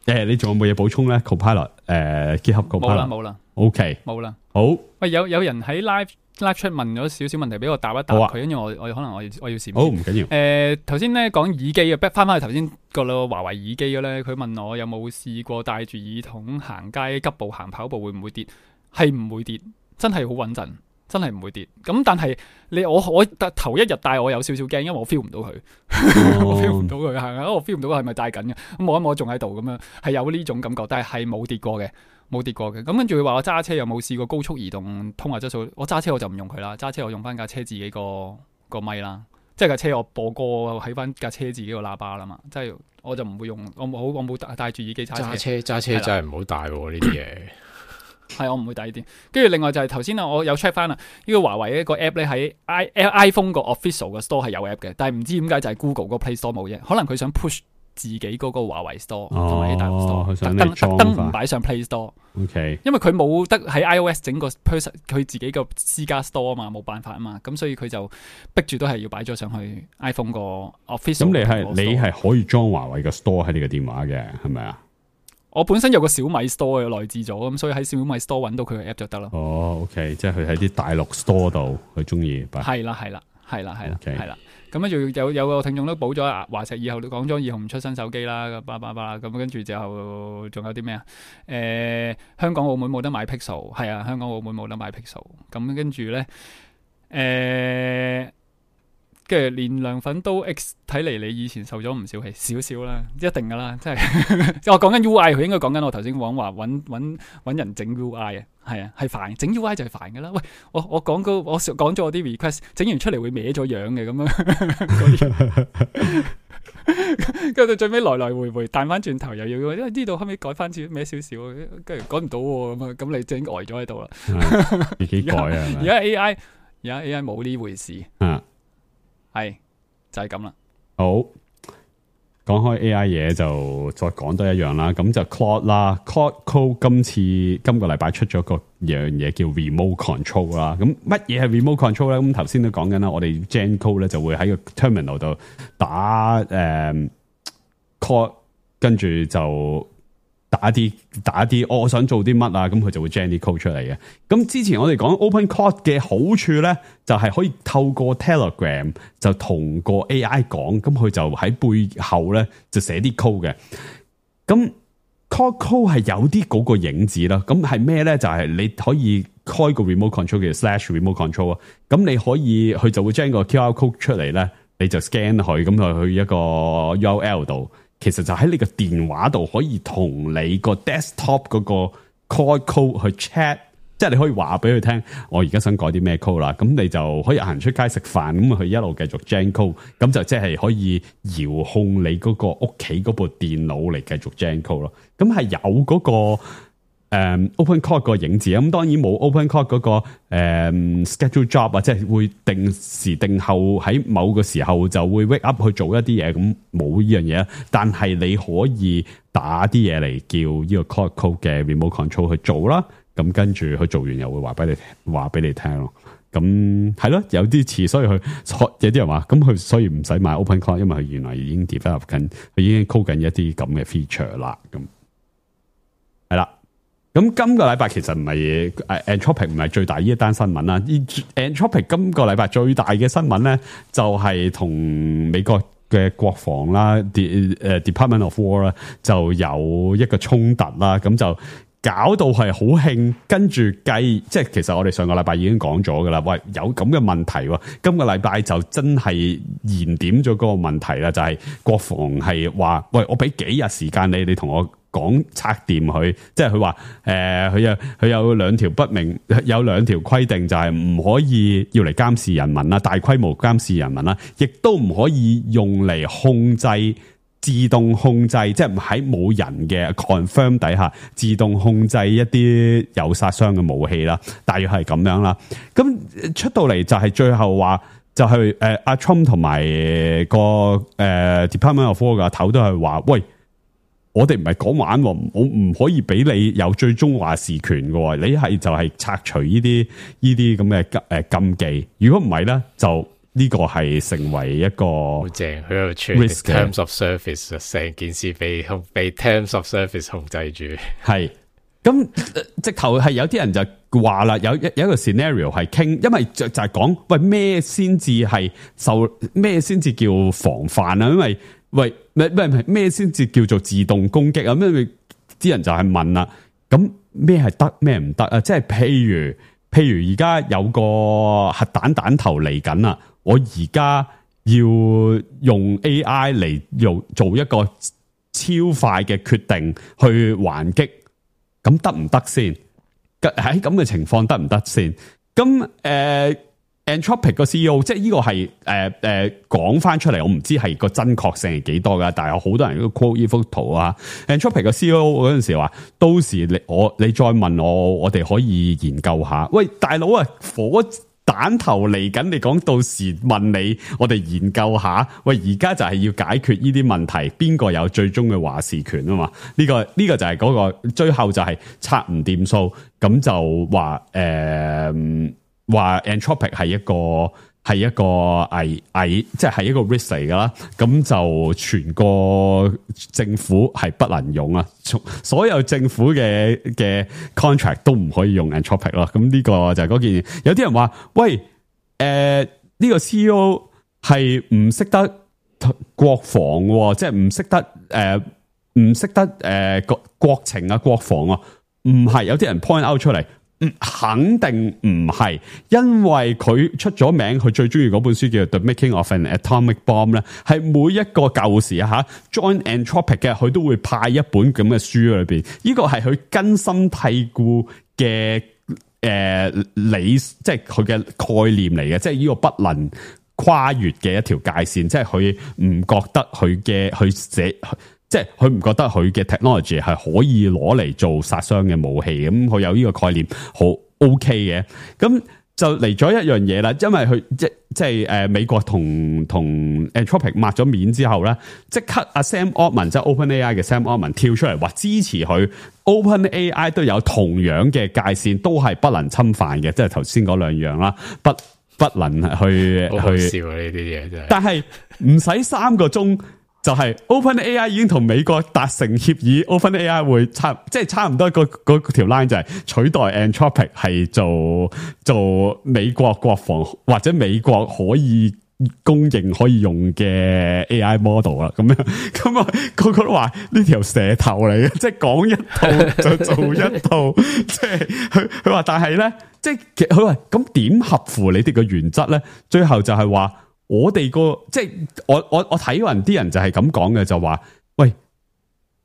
誒，你仲有冇嘢補充咧 ？Copilot 誒，GitHub Copilot 冇啦，冇啦。OK，冇啦。好。喂，有有人喺 live。拉出問咗少少問題俾我答一答佢，跟住、啊、我我可能我要我要閃。好，唔緊要。誒頭先咧講耳機嘅，翻翻去頭先個咯華為耳機嘅咧，佢問我有冇試過戴住耳筒行街急步行跑步會唔會跌？係唔會跌，真係好穩陣，真係唔會跌。咁但係你我我頭一日戴我有少少驚，因為我 feel 唔到佢，哦、我 feel 唔到佢行啊，我 feel 唔到佢係咪戴緊嘅？咁摸一摸仲喺度咁樣，係有呢種感覺，但係係冇跌過嘅。冇跌過嘅，咁跟住佢話我揸車有冇試過高速移動通話質素？我揸車我就唔用佢啦，揸車我用翻架車自己個個咪啦，即係架車我播歌喺翻架車自己個喇叭啦嘛，即係我就唔會用，我冇我冇戴住耳機揸車。揸車揸車真係唔好戴呢啲嘢。係我唔會戴呢啲。跟住另外就係頭先啊，我有 check 翻啊，呢個華為一個 app 咧喺 i iPhone 個 official 嘅 store 係有 app 嘅，但係唔知點解就係 Google 個 Play Store 冇啫，可能佢想 push。自己嗰個華為 store 同埋啲大陸 store，特登特登唔擺上 Play Store，OK，因為佢冇得喺 iOS 整個 person 佢自己個私家 store 啊嘛，冇辦法啊嘛，咁所以佢就逼住都係要擺咗上去 iPhone 個 official。咁你係你係可以裝華為嘅 store 喺你嘅電話嘅，係咪啊？我本身有個小米 store 嘅內置咗，咁所以喺小米 store 揾到佢嘅 app 就得啦。哦 ，OK， 即係佢喺啲大陸 store 度，佢中意。係啦，係啦，係啦，係啦，係啦。咁跟住有有個聽眾都補咗啊，華碩以後講咗以後唔出新手機啦，叭叭叭咁跟住之後仲有啲咩啊？誒、呃，香港澳門冇得買 Pixel， 係啊，香港澳門冇得買 Pixel。咁跟住咧，誒、呃，跟住連涼粉都 X， 睇嚟你以前受咗唔少氣，少少啦，一定噶啦，即係我講緊 U I， 佢應該講緊我頭先講話揾揾揾人整 U I 啊。係啊，係煩，整 U I 就係煩噶啦。喂，我我講個我講咗我啲 request， 整完出嚟會歪咗樣嘅咁樣。跟住到最尾來來回回彈翻轉頭，又要因為呢度後尾改翻少咩少少，跟住改唔到喎咁啊，咁你整呆咗喺度啦。自己改啊！而家 A I 而家 A I 冇呢回事，啊，係就係咁啦。好。講開 A I 嘢就再講多一樣啦，咁就 Claude 啦 ，Claude Code 今次今個禮拜出咗個樣嘢叫 Remote Control 啦，咁乜嘢係 Remote Control 咧？咁頭先都講緊啦，我哋 Gen Code 咧就會喺個 terminal 度打誒、嗯、Claude，跟住就打啲打啲、哦，我想做啲乜啊？咁佢就會 gen 啲 code 出嚟嘅。咁之前我哋講 Open Code 嘅好處咧，就係、是、可以透過 Telegram 就同個 A I 講，咁佢就喺背後咧就寫啲 code 嘅。咁 Claude Code 係有啲嗰個影子啦。咁係咩咧？就係、是、你可以開個 remote control 嘅 slash remote control 啊。咁你可以佢就會將個 Q R code 出嚟咧，你就 scan 佢，咁就去一個 U R L 度。其實就喺你個電話度可以同你個 desktop 嗰個 Claude Code 去 chat， 即係你可以話俾佢聽，我而家想改啲咩 code 啦，咁你就可以行出街食飯，咁佢一路繼續 gen code，咁就即係可以遙控你嗰個屋企嗰部電腦嚟繼續 gen code 咯，咁係有嗰個。誒、um, Open Code 個影子，咁當然冇 Open Code 嗰、那個誒、um, schedule job 啊，即係會定時定候喺某個時候就會 wake up 去做一啲嘢，咁冇呢樣嘢。但係你可以打啲嘢嚟叫呢個 Claude Code 嘅 remote control 去做啦。咁跟住佢做完又會話俾你話俾你聽咯。咁係咯，有啲似，所以佢有啲人話，咁佢所以唔使買 Open Code，因為佢原來已經 develop 緊，佢已經 code 緊一啲咁嘅 feature 啦。咁係啦。咁今個禮拜其實唔係誒 Anthropic 唔係最大呢一單新聞啦。Anthropic 今個禮拜最大嘅新聞咧，就係、是、同美國嘅國防啦，誒 Department of War 啦，就有一個衝突啦。咁就搞到係好興，跟住計，即係其實我哋上個禮拜已經講咗噶啦。喂，有咁嘅問題喎，今個禮拜就真係燃點咗嗰個問題啦，就係、是、國防係話，喂，我俾幾日時間你，你同我講拆掂佢，即係佢話誒，佢有佢有兩條不明，有兩條規定，就係唔可以要嚟監視人民啦，大規模監視人民啦，亦都唔可以用嚟控制自動控制，即係喺冇人嘅 confirm 底下自動控制一啲有殺傷嘅武器啦，大約係咁樣啦。咁出到嚟就係最後話，就係誒阿 Trump 同埋個誒、呃、Department of War 嘅頭都係話，喂。我哋唔係講玩，我唔可以俾你有最終話事權嘅，你係就係拆除呢啲呢啲咁嘅誒禁忌。如果唔係咧，就呢個係成為一個好正，佢有全 terms of service， 成件事被控被 terms of service 控制住。係咁，直頭係有啲人就話啦，有一有一個 scenario 係傾，因為就就係講喂咩先至係受咩先至叫防範啊，因為。喂，咩咩咩先至叫做自動攻擊啊？咩啲人就係問啦，咁咩係得咩唔得啊？即係譬如譬如而家有個核彈彈頭嚟緊啦，我而家要用 A I 嚟用做一個超快嘅決定去還擊，咁得唔得先？喺咁嘅情況得唔得先？咁誒？呃Anthropic 個 C E O 即係呢個係誒誒講翻出嚟，我唔知係個真確性係幾多噶，但係有好多人都 quote 呢幅圖啊。Anthropic 個 C E O 嗰陣時話，到時你我你再問我，我哋可以研究下。喂，大佬啊，火彈頭嚟緊，你講到時問你，我哋研究下。喂，而家就係要解決呢啲問題，邊個有最終嘅話事權啊嘛？呢、這個呢、這個就係嗰、那個最後就係拆唔掂數，咁就話誒。呃話 Anthropic 係一個係一個危危，即係一個 risk 嚟噶啦，咁就全個政府係不能用啊，所有政府嘅嘅 contract 都唔可以用 Anthropic 咯。咁呢個就係嗰件事。有啲人話，喂，誒、呃、呢、這個 C E O 係唔識得國防，即係唔識得誒唔識得誒國、呃、國情啊國防啊，唔係。有啲人 point out 出嚟。嗯，肯定唔係，因為佢出咗名，佢最中意嗰本書叫做《The Making of an Atomic Bomb》咧，係每一個舊時啊吓 join Anthropic 嘅，佢都會派一本咁嘅書裏邊，呢個係佢根深蒂固嘅誒理，即係佢嘅概念嚟嘅，即係呢個不能跨越嘅一條界線，即係佢唔覺得佢嘅去寫，即係佢唔覺得佢嘅 technology 係可以攞嚟做殺傷嘅武器，咁佢有呢個概念好 OK 嘅，咁就嚟咗一樣嘢啦，因為佢即即係誒美國同同 Anthropic 抹咗面之後咧，即刻阿 Sam Altman 即係 OpenAI 嘅 Sam Altman 跳出嚟話支持佢 OpenAI 都有同樣嘅界線，都係不能侵犯嘅，即係頭先嗰兩樣啦，不不能去好好去笑啊！呢啲嘢真係，但係唔使三個鐘。就係 OpenAI 已經同美國達成協議 ，OpenAI 會差即係差唔多個個條 line 就係取代 Anthropic 係做做美國國防或者美國可以公認可以用嘅 A I model 啦，咁樣咁啊個個都話呢條蛇頭嚟嘅，即係講一套就做一套，即係佢佢話，但係咧，即係佢話咁點合乎你哋嘅原則咧？最後就係話。我哋個即係我我我睇完啲人就係咁講嘅，就話喂，誒、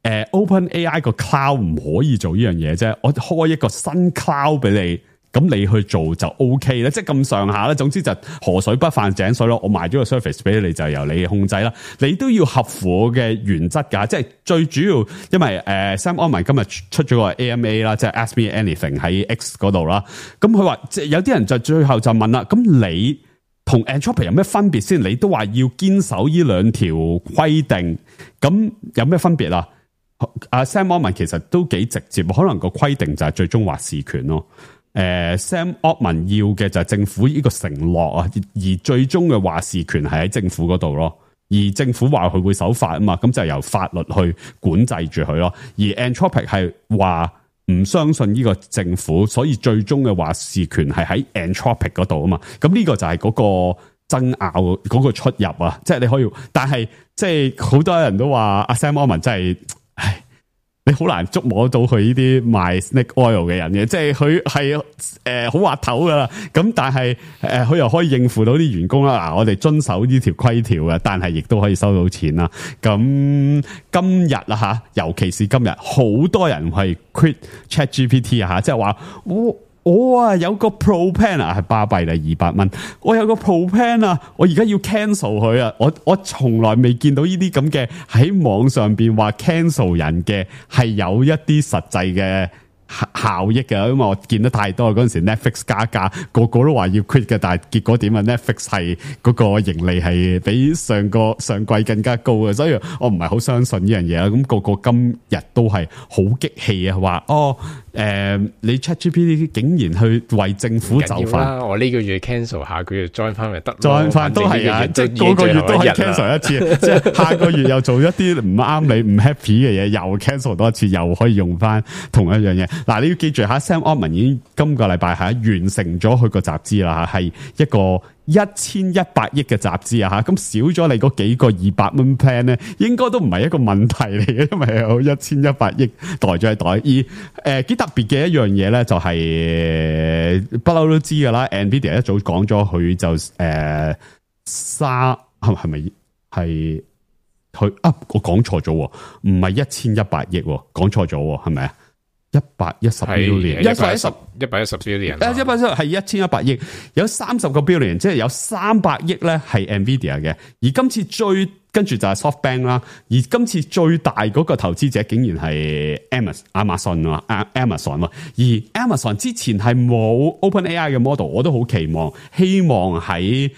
呃、OpenAI 個 cloud 唔可以做呢樣嘢啫，我開一個新 cloud 俾你，咁你去做就 OK 咧，即係咁上下啦。總之就河水不犯井水咯，我賣咗個 service 俾你，就由你控制啦。你都要合乎我嘅原則噶，即係最主要，因為誒、呃、Sam Altman 今日出咗個 A M A 啦，即係 Ask Me Anything 喺 X 嗰度啦。咁佢話即係有啲人就最後就問啦，咁你？同 Anthropic 有咩分別先？你都話要堅守呢兩條規定，咁有咩分別啊？阿 Sam Altman 其實都幾直接，可能個規定就係最終話事權咯。誒、呃、，Sam Altman 要嘅就係政府呢個承諾啊，而最終嘅話事權係喺政府嗰度咯。而政府話佢會守法啊嘛，咁就由法律去管制住佢咯。而 Anthropic 係話。唔相信呢個政府，所以最終嘅話事權係喺 Anthropic 嗰度啊嘛。咁呢個就係嗰個爭拗嗰個出入啊。即係你可以，但係即係好多人都話阿 Sam Altman 真係，唉，你好難捉摸到佢呢啲賣 snake oil 嘅人嘅，即係佢係誒好滑頭噶啦。咁但係誒佢又可以應付到啲員工啦。嗱，我哋遵守呢條規條嘅，但係亦都可以收到錢啦。咁今日啊吓，尤其是今日，好多人係 quit ChatGPT 啊吓，即係話我我啊有個 Pro Plan 啊係巴閉啦二百蚊，我有個 Pro Plan 啊，我而家要 cancel 佢啊，我我從來未見到呢啲咁嘅喺網上邊話 cancel 人嘅係有一啲實際嘅效益嘅，因為我見得太多嗰陣時 Netflix 加價，個個都話要 quit 嘅，但係結果點啊 Netflix 係嗰個盈利係比上個上季更加高嘅，所以我唔係好相信呢樣嘢啦。咁、那個個今日都係好激氣啊，話哦誒、呃，你 ChatGPT 竟然去為政府就範，我呢個月 cancel， 下個月 join 翻咪得 join 翻都係啊，即係個個月都係 cancel 一次，即係下個月又做一啲唔啱你唔 happy 嘅嘢，又 cancel 多一次，又可以用翻同一樣嘢。嗱，你要記住下 Sam Altman 已經今個禮拜係完成咗佢個集資啦，係一個一千一百億嘅集資啊，吓咁少咗你嗰幾個二百蚊 plan 咧，應該都唔係一個問題嚟嘅，因為有一千一百億袋咗喺袋。而誒幾、呃、特別嘅一樣嘢咧，就係不嬲都知噶啦 ，Nvidia 一早講咗佢就誒沙係係咪係佢啊？我講錯咗，唔係一千一百億，講錯咗係咪啊？一百一十 billion， 一百一十一百一十 billion， 誒，一百一十係一千一百億，有三十個 billion， 即係有三百億咧係 Nvidia 嘅，而今次最跟住就係 SoftBank 啦，而今次最大嗰個投資者竟然係 Amazon 啊 ，Amazon 而 Amazon 之前係冇 OpenAI 嘅 model， 我都好期望，希望喺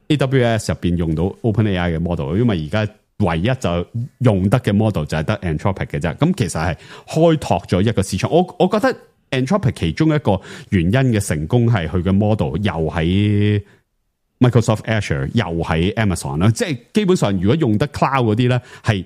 A W S 入邊用到 OpenAI 嘅 model， 因為而家。唯一就用得嘅 model 就係得 Anthropic 嘅啫，咁其實係開拓咗一個市場。我我覺得 Anthropic 其中一個原因嘅成功係佢嘅 model 又喺 Microsoft Azure 又喺 Amazon 啦，即係基本上如果用得 cloud 嗰啲咧，係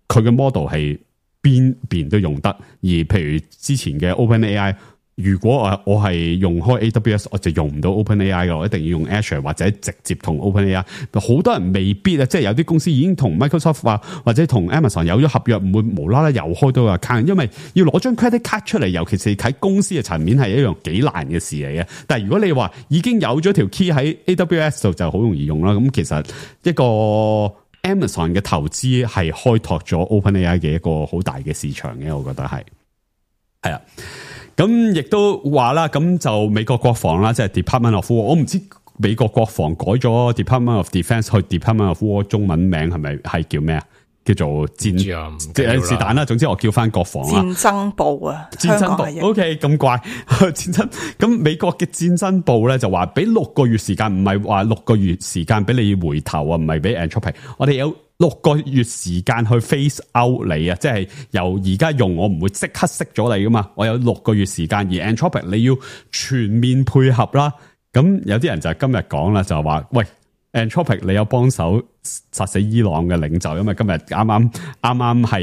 佢嘅 model 係邊邊都用得。而譬如之前嘅 OpenAI。如果我我係用開 A W S， 我就用唔到 OpenAI 嘅，我一定要用 Azure 或者直接同 OpenAI。好多人未必啊，即係有啲公司已經同 Microsoft 話或者同 Amazon 有咗合約，唔會無啦啦又開到個 account，因為要攞張 credit card 出嚟，尤其是喺公司嘅層面係一樣幾難嘅事嚟嘅。但係如果你話已經有咗條 key 喺 A W S 度，就好容易用啦。咁其實一個 Amazon 嘅投資係開拓咗 OpenAI 嘅一個好大嘅市場嘅，我覺得係係啊。咁亦都話啦，咁就美國國防啦，即係 Department of War，我唔知美國國防改咗 Department of Defence 去 Department of War， 中文名係咪係叫咩啊？叫做戰即係是但啦，總之我叫翻國防啦。戰爭部啊，戰爭部 OK 咁怪戰爭。咁美國嘅戰爭部咧就話俾六個月時間，唔係話六個月時間俾你回頭啊，唔係俾 Anthropic。我哋有六個月時間去 phase out 你啊，即係由而家用我唔會即刻熄咗你噶嘛。我有六個月時間，而 Anthropic 你要全面配合啦。咁有啲人就係今日講啦，就係話喂。Anthropic 你有幫手殺死伊朗嘅領袖，因為今日啱啱啱啱係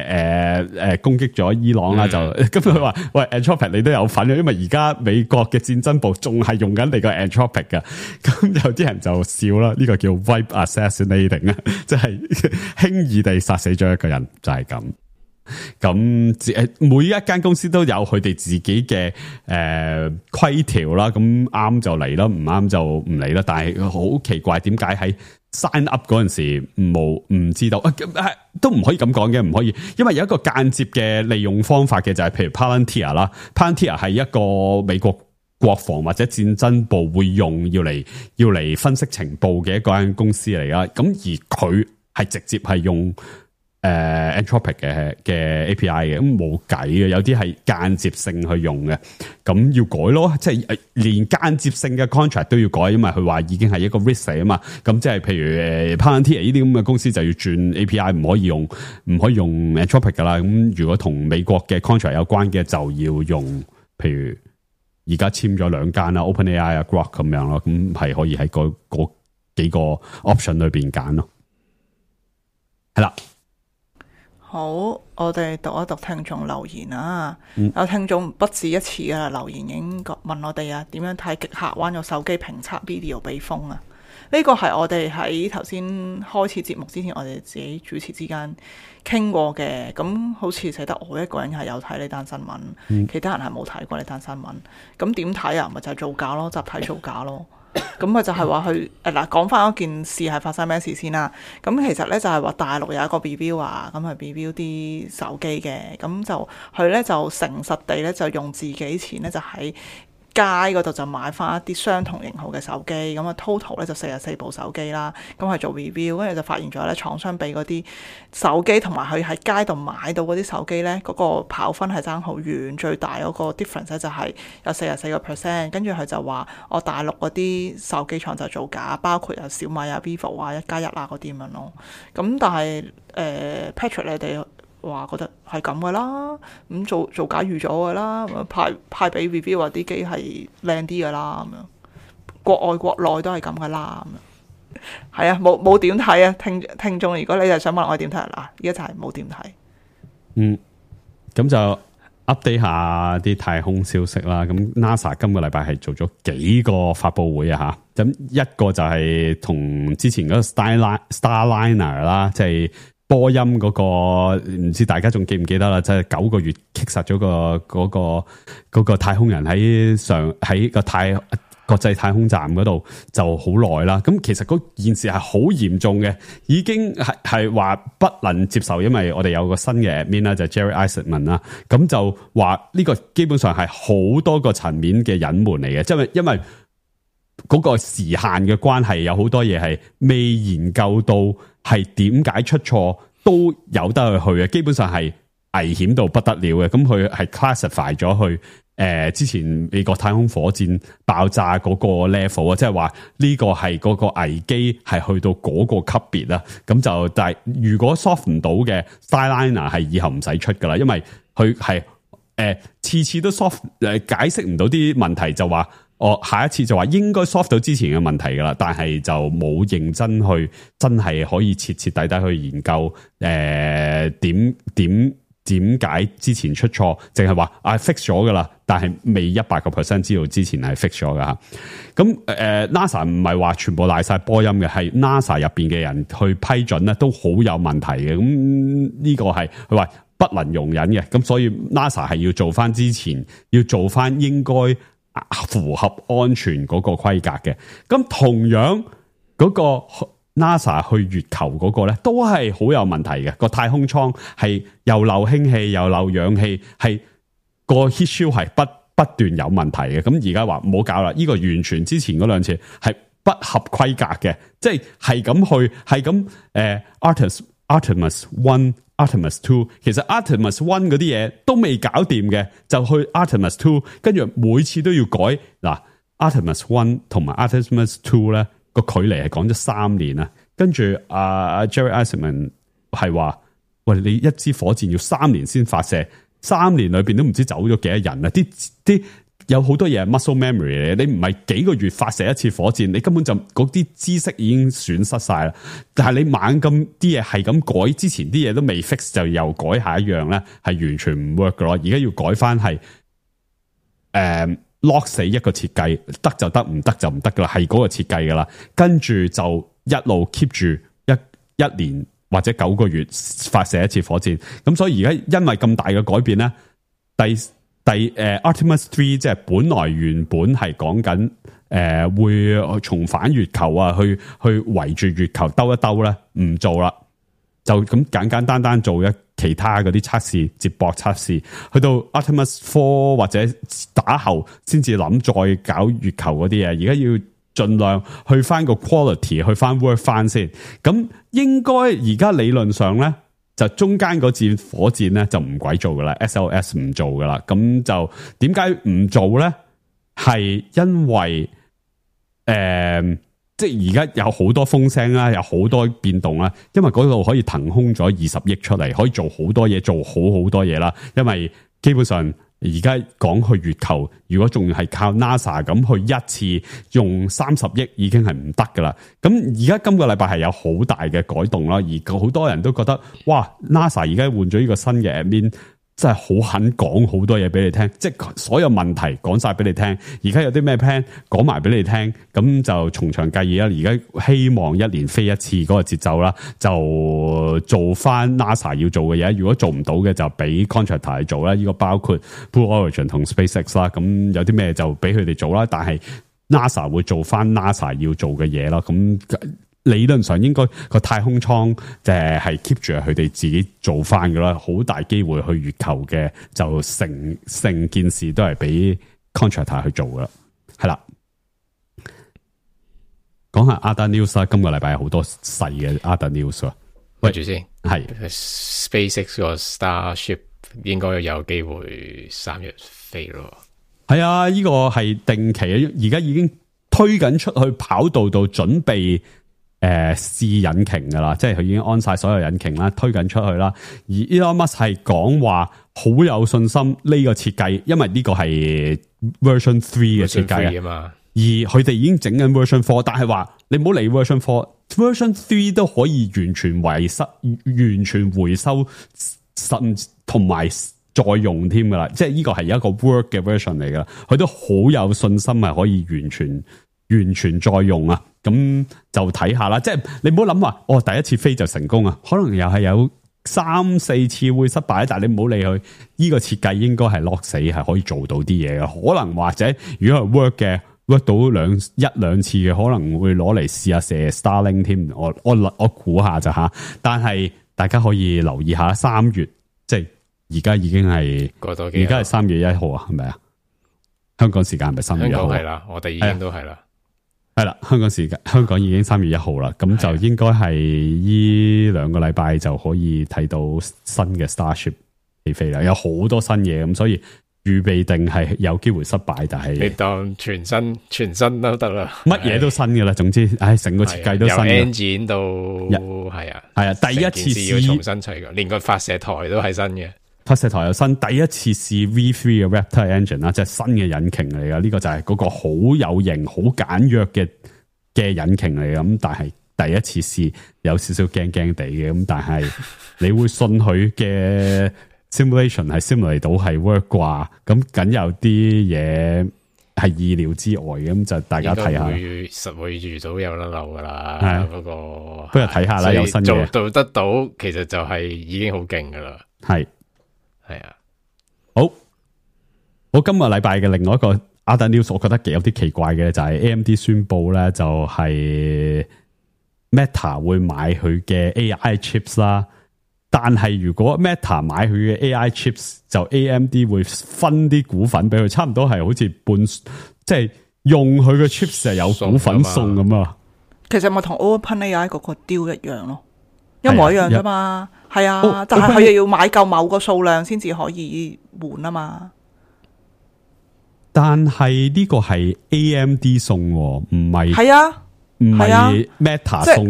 誒誒攻擊咗伊朗啦，嗯、就咁佢話喂 Anthropic 你都有份，因為而家美國嘅戰爭部仲係用緊你個 Anthropic 嘅，咁有啲人就笑啦，呢、這個叫 wipe assassinating 啊，即係輕易地殺死咗一個人，就係、是、咁。咁誒，每一間公司都有佢哋自己嘅誒規條啦，咁啱就嚟啦，唔啱就唔嚟啦。但係好奇怪，點解喺 sign up 嗰陣時冇唔知道？啊、都唔可以咁講嘅，唔可以，因為有一個間接嘅利用方法嘅，就係譬如 Palantir 啦 ，Palantir 係一個美國國防或者戰爭部會用要嚟要嚟分析情報嘅一間公司嚟啦。咁而佢係直接係用。誒、uh, Anthropic 嘅嘅 A P I 嘅，咁冇計嘅，有啲係間接性去用嘅，咁要改咯，即係連間接性嘅 contract 都要改，因為佢話已經係一個 risk 嚟啊嘛，咁即係譬如誒 Palantir 呢啲咁嘅公司就要轉 A P I， 唔可以用唔可以用 Anthropic 噶啦，咁如果同美國嘅 contract 有關嘅就要用，譬如而家簽咗兩間啦 ，OpenAI 啊 Grok 咁樣咯，咁係可以喺嗰嗰幾個 option 裏邊揀咯，係啦。好，我哋讀一讀聽眾留言啊！嗯、有聽眾不止一次噶啦，留言已經問我哋啊，點樣睇極客灣個手機評測 video 被封啊？呢個係我哋喺頭先開始節目之前，我哋自己主持之間傾過嘅。咁好似寫得我一個人係有睇呢單新聞，嗯、其他人係冇睇過呢單新聞。咁點睇啊？咪就係造假咯，集體造假咯。咁咪就係話佢誒嗱，講翻嗰件事係發生咩事先啦。咁其實咧就係話大陸有一個 review 啊，咁係 review 啲手機嘅，咁就佢咧就誠實地咧就用自己錢咧就喺街嗰度就買翻一啲相同型號嘅手機，咁啊 total 咧就四十四部手機啦，咁係做 review， 跟住就發現咗咧廠商俾嗰啲手機同埋佢喺街度買到嗰啲手機咧，嗰、嗰個跑分係爭好遠，最大嗰個 difference 咧就係有四十四個 percent， 跟住佢就話我大陸嗰啲手機廠就造假，包括有小米啊、vivo 啊、一加一啊嗰啲咁樣咯，咁但係誒、呃、Patrick 你哋話覺得係咁噶啦，咁做做假預咗噶啦，派派俾 review 話啲機係靚啲噶啦，咁樣國外國內都係咁噶啦，咁樣係啊，冇冇點睇啊？聽聽眾，如果你係想問我點睇嗱，而家就係冇點睇。嗯，咁就 update 下啲太空消息啦。咁 NASA 今個禮拜係做咗幾個發佈會啊吓，咁一個就係同之前嗰個 Starliner Starliner 啦，即係。波音嗰、那個唔知大家仲記唔記得啦？即係九個月擊殺咗個嗰、那個嗰、那個太空人喺上喺個太國際太空站嗰度就好耐啦。咁其實嗰件事係好嚴重嘅，已經係係話不能接受，因為我哋有個新嘅 admin 啦，就係 Jerry Isaacman 啦。咁就話呢個基本上係好多個層面嘅隱瞞嚟嘅，即係因為嗰個時限嘅關係，有好多嘢係未研究到。係點解出錯都有得去去嘅，基本上係危險到不得了嘅。咁佢係 classify 咗去誒、呃、之前美國太空火箭爆炸嗰個 level 啊，即係話呢個係嗰個危機係去到嗰個級別啦。咁就但係如果 soft 唔到嘅 Starliner 係以後唔使出噶啦，因為佢係誒次次都 soft 誒解釋唔到啲問題，就話。我下一次就話應該 solve 到之前嘅問題噶啦，但係就冇認真去真係可以徹徹底底去研究誒點點點解之前出錯，淨係話啊 fix 咗噶啦，但係未一百個 percent 知道之前係 fix 咗噶吓。咁誒、呃、NASA 唔係話全部賴晒波音嘅，係 NASA 入邊嘅人去批准咧都好有問題嘅。咁呢個係佢話不能容忍嘅，咁所以 NASA 係要做翻之前要做翻應該。符合安全嗰個規格嘅，咁同樣嗰個 NASA 去月球嗰個咧，都係好有問題嘅。個太空艙係又漏氫氣又漏氧氣，係個 heat shield 係不不斷有問題嘅。咁而家話唔好搞啦，呢、這個完全之前嗰兩次係不合規格嘅，即係係咁去係咁誒 Artemis Artemis One。Artemis Two 其實 Artemis One 嗰啲嘢都未搞掂嘅，就去 Artemis Two， 跟住每次都要改嗱。Artemis One 同埋 Artemis Two 咧個距離係講咗三年啊，跟住阿 Jerry Isaacman 係話：喂，你一支火箭要三年先發射，三年裏邊都唔知走咗幾多人啊！啲啲有好多嘢係 muscle memory 嚟，你唔係幾個月發射一次火箭，你根本就嗰啲知識已經損失晒啦。但係你猛咁啲嘢係咁改，之前啲嘢都未 fix 就又改下一樣咧，係完全唔 work 噶咯。而家要改翻係誒 lock 死一個設計，得就得，唔得就唔得噶啦，係嗰個設計噶啦。跟住就一路 keep 住一一年或者九個月發射一次火箭。咁所以而家因為咁大嘅改變咧，第第誒、uh, Artemis Three 即係本來原本係講緊誒會重返月球啊，去去圍住月球兜一兜咧，唔做啦，就咁簡簡單單做一其他嗰啲測試，接駁測試，去到 Artemis Four 或者打後先至諗再搞月球嗰啲嘢。而家要盡量去翻個 quality， 去翻 work 翻先。咁應該而家理論上咧，就中間嗰支火箭咧就唔鬼做噶啦 ，S L S 唔做噶啦。咁就點解唔做咧？係因為誒、呃，即係而家有好多風聲啦，有好多變動啦。因為嗰度可以騰空咗二十億出嚟，可以做好多嘢，做好好多嘢啦。因為基本上而家講去月球，如果仲係靠 NASA 咁去一次用三十億已經係唔得噶啦。咁而家今個禮拜係有好大嘅改動啦，而好多人都覺得哇 NASA 而家換咗呢個新嘅 admin， 真係好肯講好多嘢俾你聽，即係所有問題講晒俾你聽。而家有啲咩 plan 講埋俾你聽，咁就從長計議啦。而家希望一年飛一次嗰個節奏啦，就做翻 NASA 要做嘅嘢。如果做唔到嘅就俾 contractor 去做啦。呢個包括 Blue Origin 同 SpaceX 啦。咁有啲咩就俾佢哋做啦。但係 NASA 會做翻 NASA 要做嘅嘢啦。咁理論上應該個太空艙就係 keep 住佢哋自己做翻噶啦，好大機會去月球嘅就成成件事都係俾 contractor 去做噶啦，係啦。講下 other news 啦，今個禮拜有好多細嘅 other news 啊。喂住先，係 SpaceX 個 Starship 應該有機會三月飛咯。係啊，呢個係定期啊，而家已經推緊出去跑道度準備。誒，試、呃、引擎噶啦，即係佢已經安晒所有引擎啦，推緊出去啦。而 Elon Musk 係講話好有信心呢個設計，因為呢個係 Version Three 嘅設計啊嘛。而佢哋已經整緊 Version Four， 但係話你唔好理 Version Four，Version Three 都可以完全回收、完全回收，甚同埋再用添噶啦。即係呢個係一個 work 嘅 version 嚟噶，佢都好有信心係可以完全。完全再用啊，咁就睇下啦。即係你唔好諗話，哦，第一次飛就成功啊，可能又係有三四次會失敗，但係你唔好理佢。呢個設計應該係 lock 死，係可以做到啲嘢嘅。可能或者如果係 work 嘅 work 到兩一兩次嘅，可能會攞嚟試下射 Starlink 添。我我我估下咋吓？但係大家可以留意下，三月即係而家已經係過多幾，而家係三月一號啊，係咪啊？香港時間係咪三月一號？係啦，我哋已經都係啦。係啦，香港時間香港已經三月一號啦，咁就應該係呢兩個禮拜就可以睇到新嘅 Starship 起飛啦，有好多新嘢，咁所以預備定係有機會失敗，但係你當全新全新都得啦，乜嘢都新嘅啦，總之，唉，成個設計都新嘅，由 engine 到係啊，係啊，第一次試要重新砌嘅，連個發射台都係新嘅。發射台又新，第一次試 V three 嘅 Raptor engine 啦，即係新嘅引擎嚟噶。呢個就係嗰個好有型、好簡約嘅嘅引擎嚟嘅。咁但係第一次試有少少驚驚地嘅。咁但係你會信佢嘅 simulation 係 simulate 到係 work 啩？咁梗有啲嘢係意料之外嘅。咁就大家睇下，會實會遇到有甩漏噶啦。嗰個不如睇下啦，有新嘢做得到，其實就係已經好勁噶啦。係。係啊，好，我今個禮拜嘅另外一個 other news， 我覺得幾有啲奇怪嘅就係 A M D 宣布咧，就係 Meta 會買佢嘅 A I chips 啦，但係如果 Meta 買佢嘅 A I chips， 就 A M D 會分啲股份俾佢，差唔多係好似半，即係用佢嘅 chips 係有股份送咁啊。其實咪同 OpenAI 嗰個 deal 一樣咯，一模一樣啫嘛。係啊，哦、但係佢又要買夠某個數量先至可以換啊嘛。但係呢個係 A M D 送，唔係係啊。唔係啊係 Meta 送，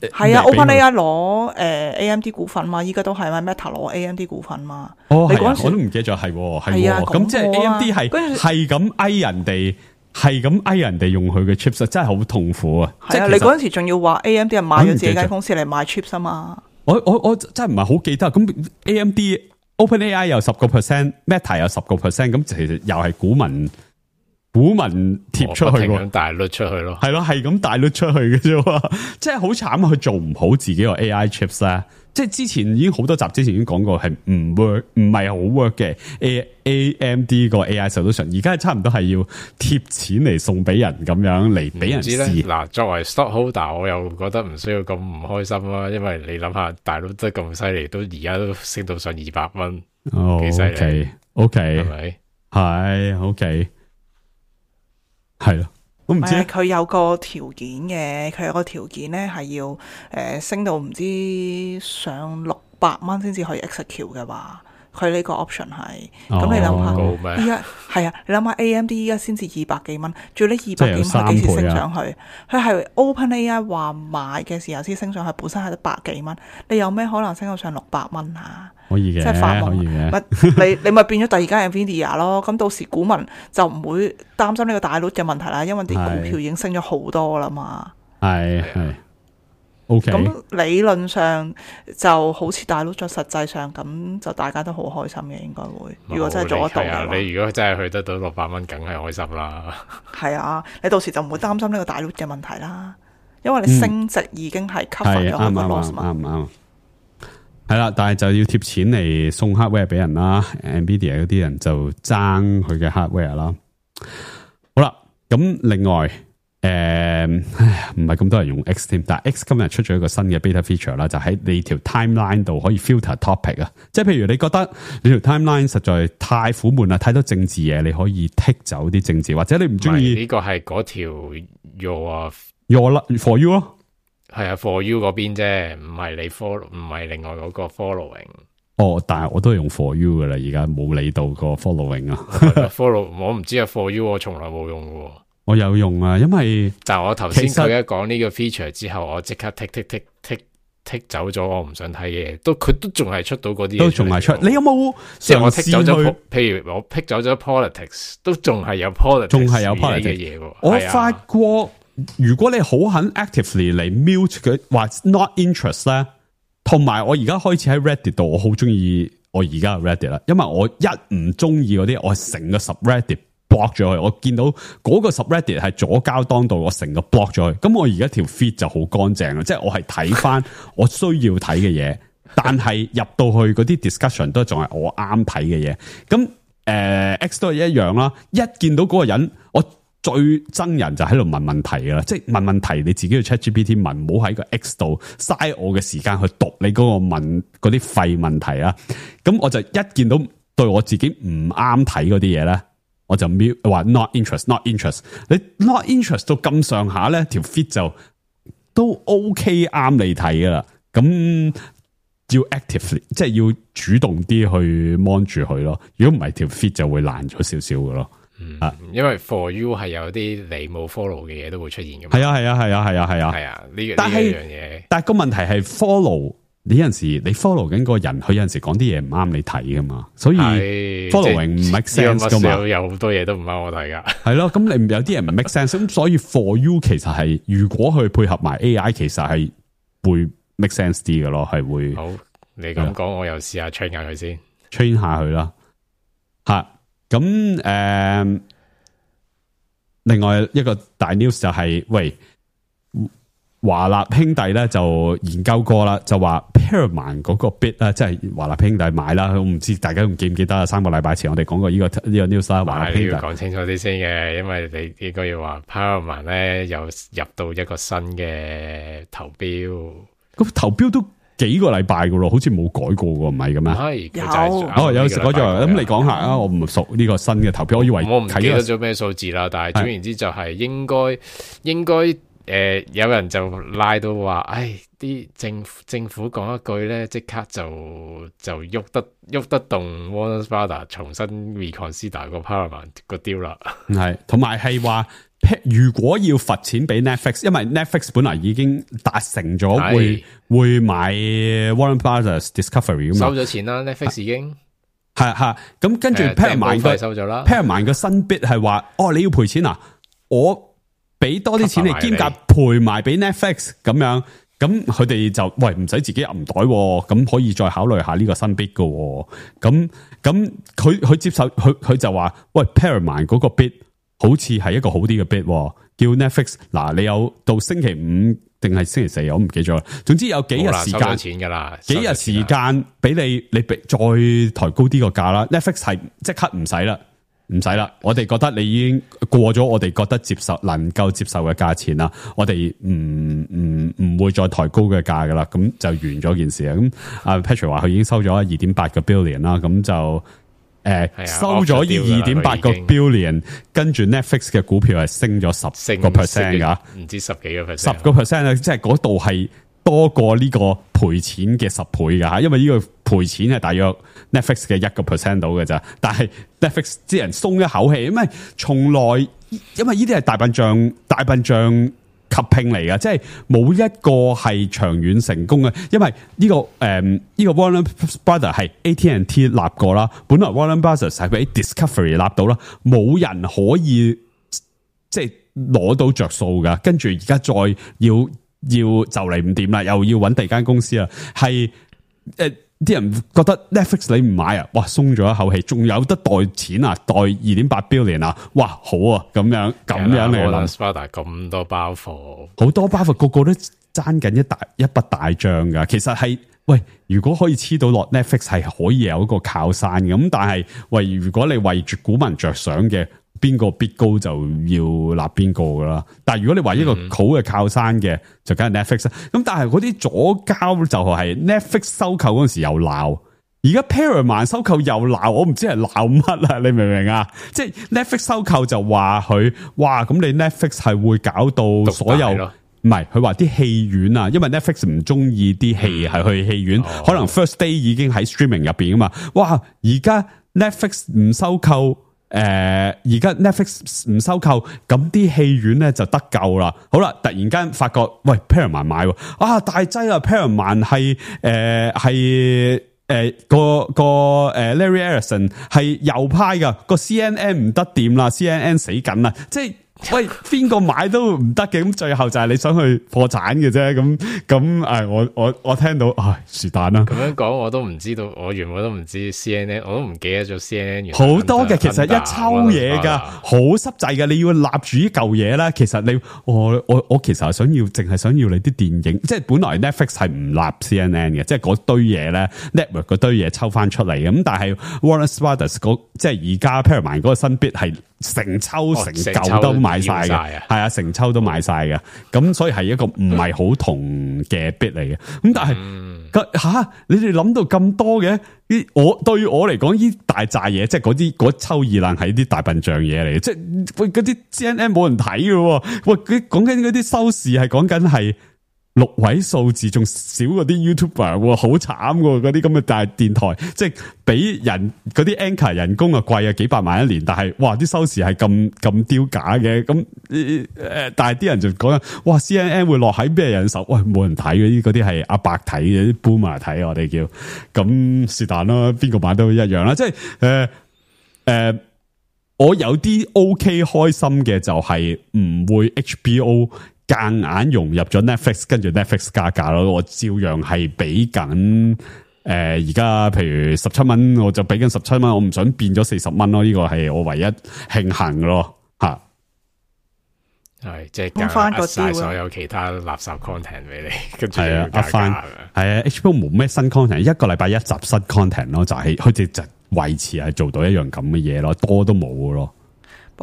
係啊 ，OpenAI 攞誒 A M D 股份嘛，依家都係咪 Meta 攞 A M D 股份嘛？哦，係啊，你嗰陣時我都唔記得咗，係係係啊咁即係 A M D 係跟住係咁嗌人哋，係咁嗌人哋用佢嘅 chips，真係好痛苦啊！係啊，你嗰陣時仲要話 A M D 係賣咗自己間公司嚟賣 chips 啊嘛？我我我真係唔係好記得，咁 A M D、OpenAI 有十個 percent，Meta 有十個 percent，咁其實又係股民。股民貼出去喎，大率出去咯，係咯，係咁大率出去嘅啫，即係好慘啊！佢做唔好自己個 A I chips 咧，即係之前已經好多集之前已經講過係唔 work，唔係好 work 嘅 A A M D 個 A I solution， 而家係差唔多係要貼錢嚟送俾人咁樣嚟俾人試。嗱，作為 stockholder， 我又覺得唔需要咁唔開心啦，因為你諗下，大佬得咁犀利，都而家都升到上二百蚊，哦，幾犀利 ，OK，OK，係咪？係 OK。係咯，我唔知佢有個條件嘅，佢有個條件咧係要誒、呃、升到唔知上六百蚊先至可以 execute 嘅話，佢呢個 option 係，咁、哦、你諗下，依家係啊，你諗下 A M D 依家先至二百幾蚊，仲要呢二百幾蚊係幾時升上去？佢係 OpenAI 話買嘅時候先升上去，本身係得百幾蚊，你有咩可能升到上六百蚊啊？可以嘅，即係發夢，可以嘅。你你咪變咗第二間 Nvidia 咯。咁到時股民就唔會擔心呢個大率嘅問題啦，因為啲股票已經升咗好多啦嘛。係係 OK。咁理論上就好似大率咗，實際上咁就大家都好開心嘅，應該會。如果真係做得到嘅話，你如果真係去得到六百蚊，梗係開心啦。係啊，你到時就唔會擔心呢個大率嘅問題啦，因為你升值已經係 cover 咗佢個 loss 嘛。啱唔啱？係啦，但係就要貼錢嚟送 hardware 俾人啦 ，Nvidia 嗰啲人就爭佢嘅 hardware 啦。好啦，咁另外誒，唔係咁多人用 X 添，但係 X 今日出咗一個新嘅 beta feature 啦，就喺你條 timeline 度可以 filter topic 啊，即係譬如你覺得你條 timeline 實在太苦悶啦，太多政治嘢，你可以剔走啲政治，或者你唔中意呢個係嗰條 your your for you 咯。係啊 ，for you 嗰邊啫，唔係你 follow，唔係另外嗰個 following。哦，但係我都係用 for you 噶啦，而家冇理到個 following 啊。follow 我唔知啊 ，for you 我從來冇用嘅。我有用啊，因為但係我頭先佢一講呢個 feature 之後，我即刻剔剔剔剔剔走咗我唔想睇嘅嘢，都佢都仲係出到嗰啲嘢，都仲係出。你有冇即係我剔走咗？譬如我剔走咗 politics， 都仲係有 politics，仲係有 politics 嘅嘢喎。我發覺。如果你好肯 actively 嚟 mute 佢話 not interest 咧，同埋我而家開始喺 Reddit 度，我好中意我而家嘅 Reddit 啦，因為我一唔中意嗰啲，我成個 subreddit block 咗佢。我見到嗰個 subreddit 係左膠當道，我成個 block 咗佢。咁我而家條 feed 就好乾淨啦，即係我係睇翻我需要睇嘅嘢，但係入到去嗰啲 discussion 都仲係我啱睇嘅嘢。咁誒、呃、X 都係一樣啦，一見到嗰個人我。最憎人就喺度問問題噶啦，即係問問題你自己去 ChatGPT 問，唔好喺個 X 度嘥我嘅時間去讀你嗰個問嗰啲廢問題啊！咁我就一見到對我自己唔啱睇嗰啲嘢咧，我就瞄話 not interest，not interest。你 not interest 到咁上下咧，條 feed 就都 OK 啱你睇噶啦。咁要 actively 即係要主動啲去 mon 住佢咯。如果唔係條 feed 就會爛咗少少噶咯。嗯，因為 for you 係有啲你冇 follow 嘅嘢都會出現噶嘛。係啊係啊係啊係啊係啊係啊呢個呢樣嘢。但係個問題係 follow 你有陣時你 follow 緊個人，佢有陣時講啲嘢唔啱你睇噶嘛，所以 following 唔 make sense 噶嘛。有好多嘢都唔啱我睇噶。係咯，咁你有啲人唔 make sense，咁所以 for you 其實係如果佢配合埋 A I， 其實係會 make sense 啲嘅咯，係會。好，你咁講，我又試下 train 下佢先 ，train 下佢啦，吓。咁誒、呃，另外一個大 news 就係、是，喂，華納兄弟咧就研究過啦，就話 Paramount 嗰個 bid 啦，即係華納兄弟買啦。我唔知大家仲記唔記得啊？三個禮拜前我哋講過呢、這個呢、這個 news 啦。華納兄弟要講清楚啲先嘅，因為你應該要話 Paramount 咧又入到一個新嘅投標，咁投標都幾個禮拜噶咯，好似冇改過喎，唔係咁咩？係有哦，有改咗，咁你講下啊，我唔熟呢個新嘅投票，我以為我唔記得睇咗咩數字啦，但係總言之就係應該應該誒、呃、有人就拉到話，唉，啲政府政府講一句咧，即刻就就喐得喐得動 Warner Brothers 重新 reconsider 個 Paramount 個 deal 啦，係，同埋係話。如果要罰錢俾 Netflix， 因為 Netflix 本來已經達成咗會會買 Warner Brothers Discovery 咁嘛，收咗錢啦 Netflix 已經係係咁跟住 Paramount 個收咗啦 Paramount 個新 bid 係話，哦你要賠錢啊，我俾多啲錢你兼夾賠埋俾 Netflix 咁樣，咁佢哋就喂唔使自己揞袋，咁可以再考慮下呢個新 bid 嘅，咁咁佢佢接受佢佢就話，喂 Paramount 嗰個 bid。好似係一個好啲嘅 bid， 叫 Netflix 嗱，你有到星期五定係星期四，我唔記咗啦。總之有幾日時間，錢噶啦，幾日時間俾你，你再抬高啲個價啦。Netflix 係即刻唔使啦，唔使啦。我哋覺得你已經過咗我哋覺得接受能夠接受嘅價錢啦，我哋唔唔唔會再抬高嘅價噶啦，咁就完咗件事啊。咁阿 Patrick 話佢已經收咗二點八個 billion 啦，咁就。誒、呃，收咗二點八個 billion， 跟住 Netflix 嘅股票係升咗十個 percent 噶，唔知十幾個 percent， 十個 percent 啊，即係嗰度係多過呢個賠錢嘅十倍噶吓，因為呢個賠錢係大約 Netflix 嘅一個 percent 到嘅咋，但係 Netflix 啲人鬆一口氣，因為從來因為呢啲係大笨象，大笨象。合併嚟㗎，即係冇一個係長遠成功嘅，因為呢、這個誒呢、嗯這個 Warner Brothers 係 A T and T 立過啦，本來 Warner Brothers 係俾 Discovery 立到啦，冇人可以即係攞到着數噶，跟住而家再要要就嚟唔掂啦，又要揾第二間公司啦，係誒。啲人覺得 Netflix 你唔買啊，哇鬆咗一口氣，仲有得袋錢啊，袋二點八 billion 啊，哇好啊，咁樣咁樣嚟諗，咁多包貨，好多包貨，個個都爭緊一大一筆大帳噶。其實係喂，如果可以黐到落 Netflix 係可以有一個靠山嘅，咁但係喂，如果你為住股民着想嘅。邊個 bid 高就要立邊個噶啦，但係如果你話一個好嘅靠山嘅，嗯、就梗係 Netflix 啦。咁但係嗰啲左膠就係 Netflix 收購嗰陣時又鬧，而家 Paramount 收購又鬧，我唔知係鬧乜啊？你明唔明啊？即係 Netflix 收購就話佢，哇咁你 Netflix 係會搞到所有，唔係佢話啲戲院啊，因為 Netflix 唔中意啲戲係去戲院，嗯、可能 first day 已經喺 streaming 入邊啊嘛，哇而家 Netflix 唔收購。誒，而家 Netflix 唔收購，咁啲戲院咧就得救啦。好啦，突然間發覺，喂 Paramount 買喎，啊大劑啊 Paramount 係誒係誒個個誒 Larry Ellison 係右派噶，個 C N N 唔得掂啦 ，C N N 死緊啦，即係。喂，邊個買都唔得嘅，咁最後就係你想去破產嘅啫，咁咁誒，我我我聽到，唉，是但啦。咁樣講我都唔知道，我原本都唔知 C N N， 我都唔記得咗 C N N。好多嘅，其實一抽嘢噶，好濕滯嘅，你要立住呢嚿嘢啦。其實你我我我其實係想要，淨係想要你啲電影，即係本來 Netflix 係唔立 C N N 嘅，即係嗰堆嘢咧 network 嗰堆嘢抽翻出嚟嘅，咁但係 Warner Brothers 嗰即係而家 Paramount 嗰個新 bit 係。成抽成舊都買晒嘅，係啊，成抽都買晒嘅，咁所以係一個唔係好同嘅 bit 嚟嘅。咁但係吓、嗯啊，你哋諗到咁多嘅？呢我對我嚟講，呢大扎嘢，即係嗰啲嗰抽二愣係啲大笨象嘢嚟嘅，即係喂嗰啲 C N N 冇人睇嘅，喂佢講緊嗰啲收視係講緊係。六位數字仲少嗰啲 YouTuber， 好慘喎！嗰啲咁嘅大電台，即係俾人嗰啲 anchor 人工啊貴啊幾百萬一年，但係哇啲收視係咁咁丟假嘅，咁誒、呃，但係啲人就講哇 C N N 會落喺咩人手？喂，冇人睇嗰啲，嗰啲係阿伯睇嘅，啲 boomer 睇我哋叫，咁是但啦，邊個買都一樣啦，即係誒誒，我有啲 OK 開心嘅就係唔會 H B O。夾硬融入咗 Netflix， 跟住 Netflix 加價咯，我照樣係俾緊誒，而家譬如十七蚊，我就俾緊十七蚊，我唔想變咗四十蚊咯，呢個係我唯一慶幸嘅咯，吓係即係加翻晒所有其他垃圾 content 俾你，跟住係啊，加翻係啊 ，H B O 冇咩新 content， 一個禮拜一集新 content 咯，就係佢哋就維持係做到一樣咁嘅嘢咯，多都冇咯。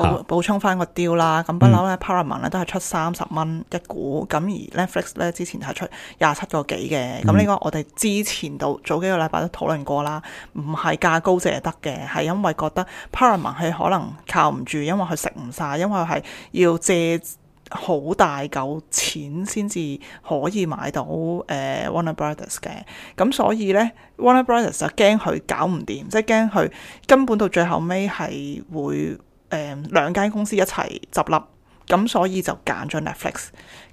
補補充翻個 deal 啦。咁不嬲咧 Paramount 咧都係出三十蚊一股，咁而 Netflix 咧之前係出廿七個幾嘅。咁呢、嗯、個我哋之前到早幾個禮拜都討論過啦，唔係價高者得嘅，係因為覺得 Paramount 係可能靠唔住，因為佢食唔晒，因為係要借好大嚿錢先至可以買到誒、呃、Warner Brothers 嘅，咁所以咧 Warner Brothers 就驚佢搞唔掂，即係驚佢根本到最後尾係會誒兩間公司一齊執笠，咁所以就揀咗 Netflix。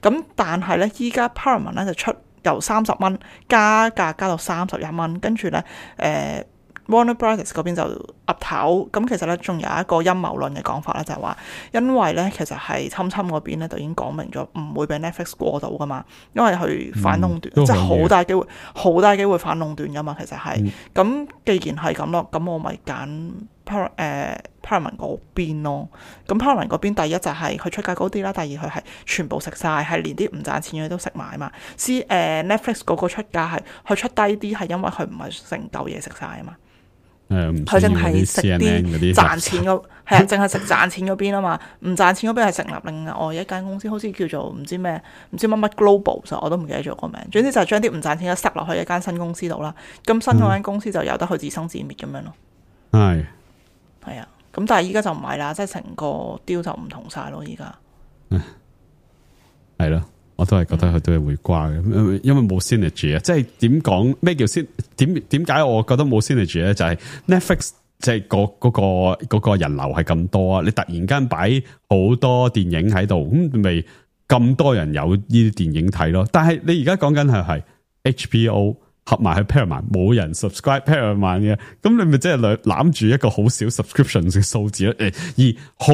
咁但係咧依家 Paramount 咧就出由三十蚊加價加到三十一蚊，跟住咧誒。呃Warner Brothers 嗰邊就岌頭，咁其實咧仲有一個陰謀論嘅講法咧，就係話因為咧其實係侵侵嗰邊咧就已經講明咗唔會俾 Netflix 過到噶嘛，因為佢反壟斷，嗯、即係好大機會，好大機會反壟斷噶嘛，其實係。咁、嗯、既然係咁咯，咁我咪揀 Par 誒 Paramount 嗰邊咯。咁 Paramount 嗰邊第一就係佢出價高啲啦，第二佢係全部食晒，係連啲唔賺錢嘅都食埋嘛。C 誒、呃、Netflix 嗰個出價係佢出低啲，係因為佢唔係成嚿嘢食晒啊嘛。佢淨係食啲賺錢嗰，係啊，淨係食賺錢嗰邊啊嘛，唔賺錢嗰邊係成立另外一間公司，好似叫做唔知咩，唔知乜乜 Global， 我都唔記得咗個名。總之就係將啲唔賺錢嘅塞落去一間新公司度啦，咁新嗰間公司就由得佢自生自滅咁樣咯。係係啊，咁但係依家就唔係啦，即係成個 deal 就唔同晒咯，依家係咯。我都係覺得佢都係會掛嘅，因為冇 synergy 啊，即係點講咩叫先？點點解我覺得冇 synergy 咧？就係 Netflix 即係嗰嗰個嗰個人流係咁多啊，你突然間擺好多電影喺度，咁咪咁多人有呢啲電影睇咯。但係你而家講緊係係 H B O 合埋去 Paramount， 冇人 subscribe Paramount 嘅，咁你咪即係攬住一個好少 subscription 嘅數字咯。誒，而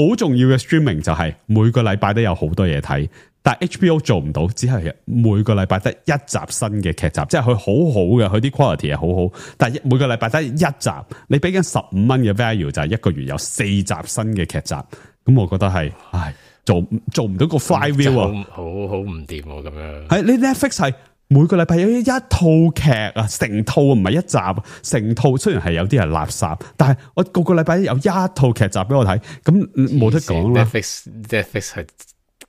好重要嘅 streaming 就係每個禮拜都有好多嘢睇。但係 H B O 做唔到，只係每個禮拜得一集新嘅劇集，即係佢好好嘅，佢啲 quality 係好好。但係每個禮拜得一集，你俾緊十五蚊嘅 value 就係一個月有四集新嘅劇集，咁我覺得係，唉，做做唔到個 flywheel 啊，好好唔掂喎咁樣。係你 Netflix 係每個禮拜有一套劇啊，成套唔係一集，成套雖然係有啲係垃圾，但係我個個禮拜有一套劇集俾我睇，咁冇得講啦。Netflix Netflix 係。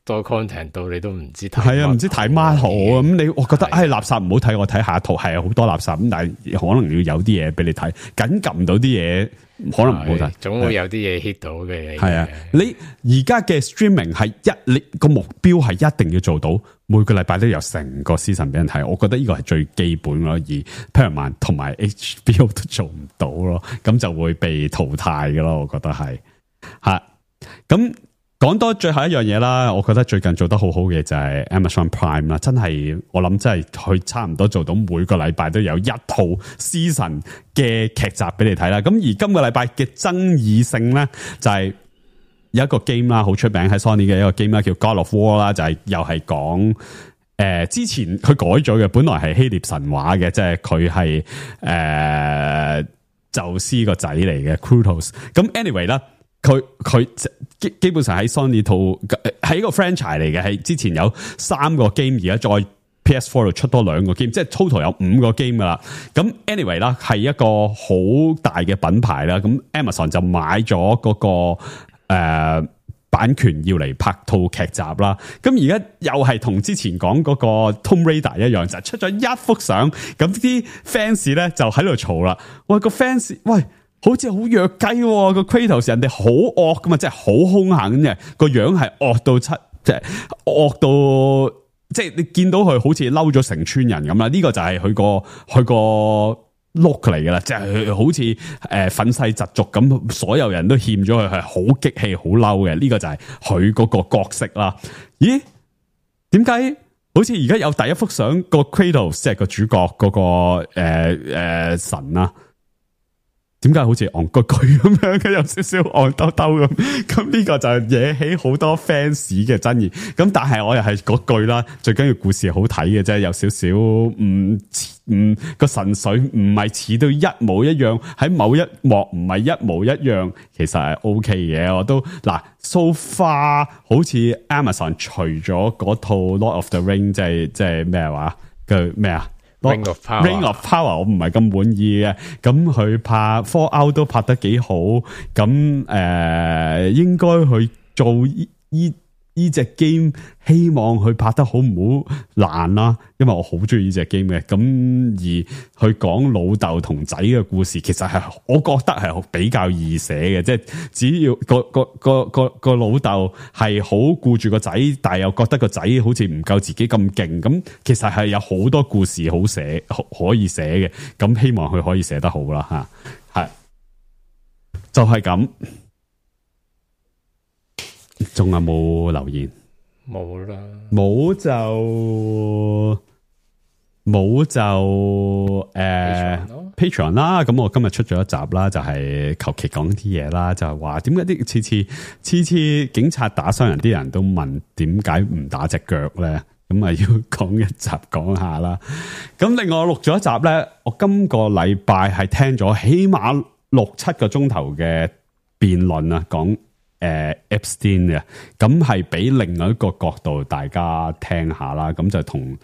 多 content 到你都唔知睇，係啊，唔知睇乜好咁。你我覺得唉，垃圾唔好睇，我睇下一套係好多垃圾咁，但係可能要有啲嘢俾你睇，緊撳到啲嘢可能唔好睇，總會有啲嘢 hit 到嘅。係啊，你而家嘅 streaming 係一你個目標係一定要做到每個禮拜都有成個 season 俾人睇，我覺得呢個係最基本咯。而 Paramount 同埋 H B O 都做唔到咯，咁就會被淘汰嘅咯。我覺得係吓咁。講多最後一樣嘢啦，我覺得最近做得好好嘅就係 Amazon Prime 啦，真係我諗真係佢差唔多做到每個禮拜都有一套 season 嘅劇集俾你睇啦。咁而今個禮拜嘅爭議性咧，就係有一個 game 啦，好出名喺 Sony 嘅一個 game 啦，叫 God of War 啦，就係又係講誒之前佢改咗嘅，本來係希臘神話嘅，即係佢係誒宙斯個仔嚟嘅 Kratos。咁 anyway 啦。佢佢基基本上喺 Sony 套係一個 franchise 嚟嘅，係之前有三個 game， 而家再 P S 四 度出多兩個 game， 即係 total 有五個 game 噶啦。咁 anyway 啦，係一個好大嘅品牌啦。咁 Amazon 就買咗嗰、那個誒、呃、版權要嚟拍套劇集啦。咁而家又係同之前講嗰個 Tomb Raider 一樣，就出咗一幅相，咁啲 fans 咧就喺度嘈啦。喂，個 fans 喂。好似好弱雞喎，個 Kratos 人哋好惡噶嘛，即係好兇狠嘅，個樣係惡到七，即係惡到即係你見到佢好似嬲咗成村人咁啦。呢、這個就係佢個佢個 look 嚟噶啦，即係好似誒憤世嫉俗咁，所有人都欠咗佢，係好激氣、好嬲嘅。呢、這個就係佢嗰個角色啦。咦？點解好似而家有第一幅相個 Kratos 即係個主角嗰、那個誒誒、呃呃、神啊？點解好似戇居居咁樣嘅，有少少戇兜兜咁？咁呢個就惹起好多 fans 嘅爭議。咁但係我又係嗰句啦，最緊要故事好睇嘅啫，有少少唔唔個神髓唔係似到一模一樣，喺某一幕唔係一模一樣，其實係 OK 嘅。我都嗱 so far 好似 Amazon 除咗嗰套 Lord of the Ring， 即係即係咩話嘅咩啊？ Ring of Power Ring of Power 我唔係咁滿意嘅，咁佢拍 Fallout 都拍得幾好，咁誒、呃、應該去做依依依隻 game， 希望佢拍得好唔好爛啦，因為我好中意呢隻 game 嘅，咁而去講老豆同仔嘅故事，其實係我覺得係比較易寫嘅，即係只要個個個個個老豆係好顧住個仔，但係又覺得個仔好似唔夠自己咁勁，咁其實係有好多故事好寫可以寫嘅，咁希望佢可以寫得好啦吓，係就係咁。仲有冇留言？冇啦，冇就冇就誒 Patreon 啦。咁我今日出咗一集啦，就係求其講啲嘢啦，就係話點解啲次次次次警察打傷人，啲人都問點解唔打隻腳咧？咁啊要講一集講下啦。咁另外我錄咗一集咧，我今個禮拜係聽咗起碼六七個鐘頭嘅辯論啊，講。誒、呃、Epstein 嘅，咁係俾另外一個角度大家聽下啦，咁就同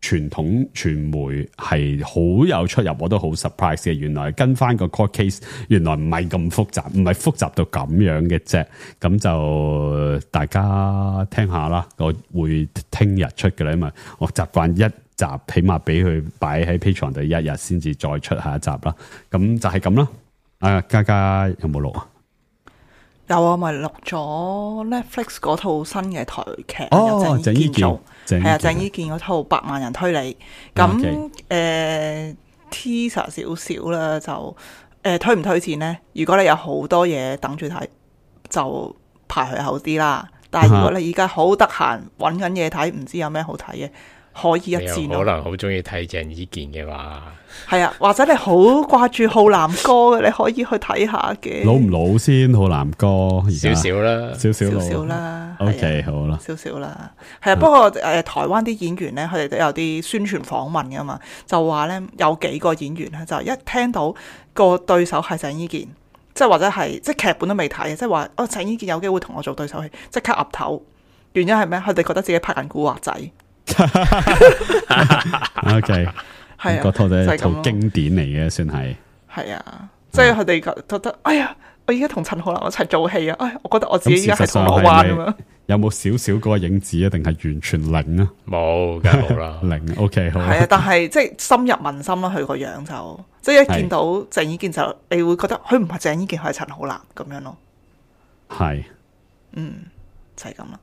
傳統傳媒係好有出入，我都好 surprise 嘅。原來跟翻個 court case， 原來唔係咁複雜，唔係複雜到咁樣嘅啫。咁就大家聽下啦，我會聽日出嘅啦，因為我習慣一集起碼俾佢擺喺 Patreon 度一日先至再出下一集啦。咁就係咁啦。啊，嘉嘉有冇錄啊？有啊，咪錄咗 Netflix 嗰套新嘅台劇，哦，由鄭伊健做，係啊，鄭鄭伊健嗰套《百萬人推理》。咁誒 teaser 少少啦，就誒、呃、推唔推薦咧？如果你有好多嘢等住睇，就排佢後啲啦。但係如果你而家好得閒揾緊嘢睇，唔知有咩好睇嘅，可以一戰咯。可能好中意睇鄭伊健嘅話。係啊，或者你好掛住浩南哥嘅，你可以去睇下嘅。老唔老先？浩南哥少少啦，少少少少啦。O K，好啦，少少啦。係啊，不過誒、呃，台灣啲演員咧，佢哋都有啲宣傳訪問噶嘛，就話咧有幾個演員咧，就一聽到個對手係鄭伊健，即係或者係即係劇本都未睇，即係話哦鄭伊健有機會同我做對手戲，即刻岌頭。原因係咩？佢哋覺得自己拍緊古惑仔。O K。係啊，嗰套就係一套就係經典嚟嘅，算係。係啊，即係佢哋覺覺得，哎呀，我而家同陳浩南一齊做戲啊！哎，我覺得我自己而家係銅鑼灣咁樣。有冇少少嗰個影子啊？定係完全零啊？冇，梗係冇啦。零 OK 好。係啊，但係即係深入民心啦。佢個樣就即係一見到鄭伊健就，你會覺得佢唔係鄭伊健，佢係陳浩南咁樣咯。係，嗯，就係咁啦。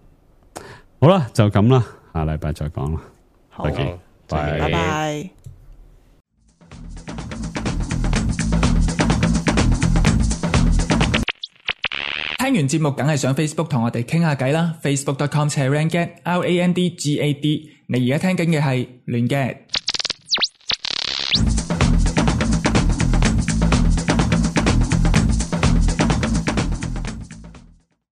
好啦，就咁啦，下禮拜再講啦。好，拜拜拜。聽完節目梗係上 Facebook 同我哋傾下偈啦 ，facebook dot com slash randgad R A N D G A D。你而家聽緊嘅係亂嘅。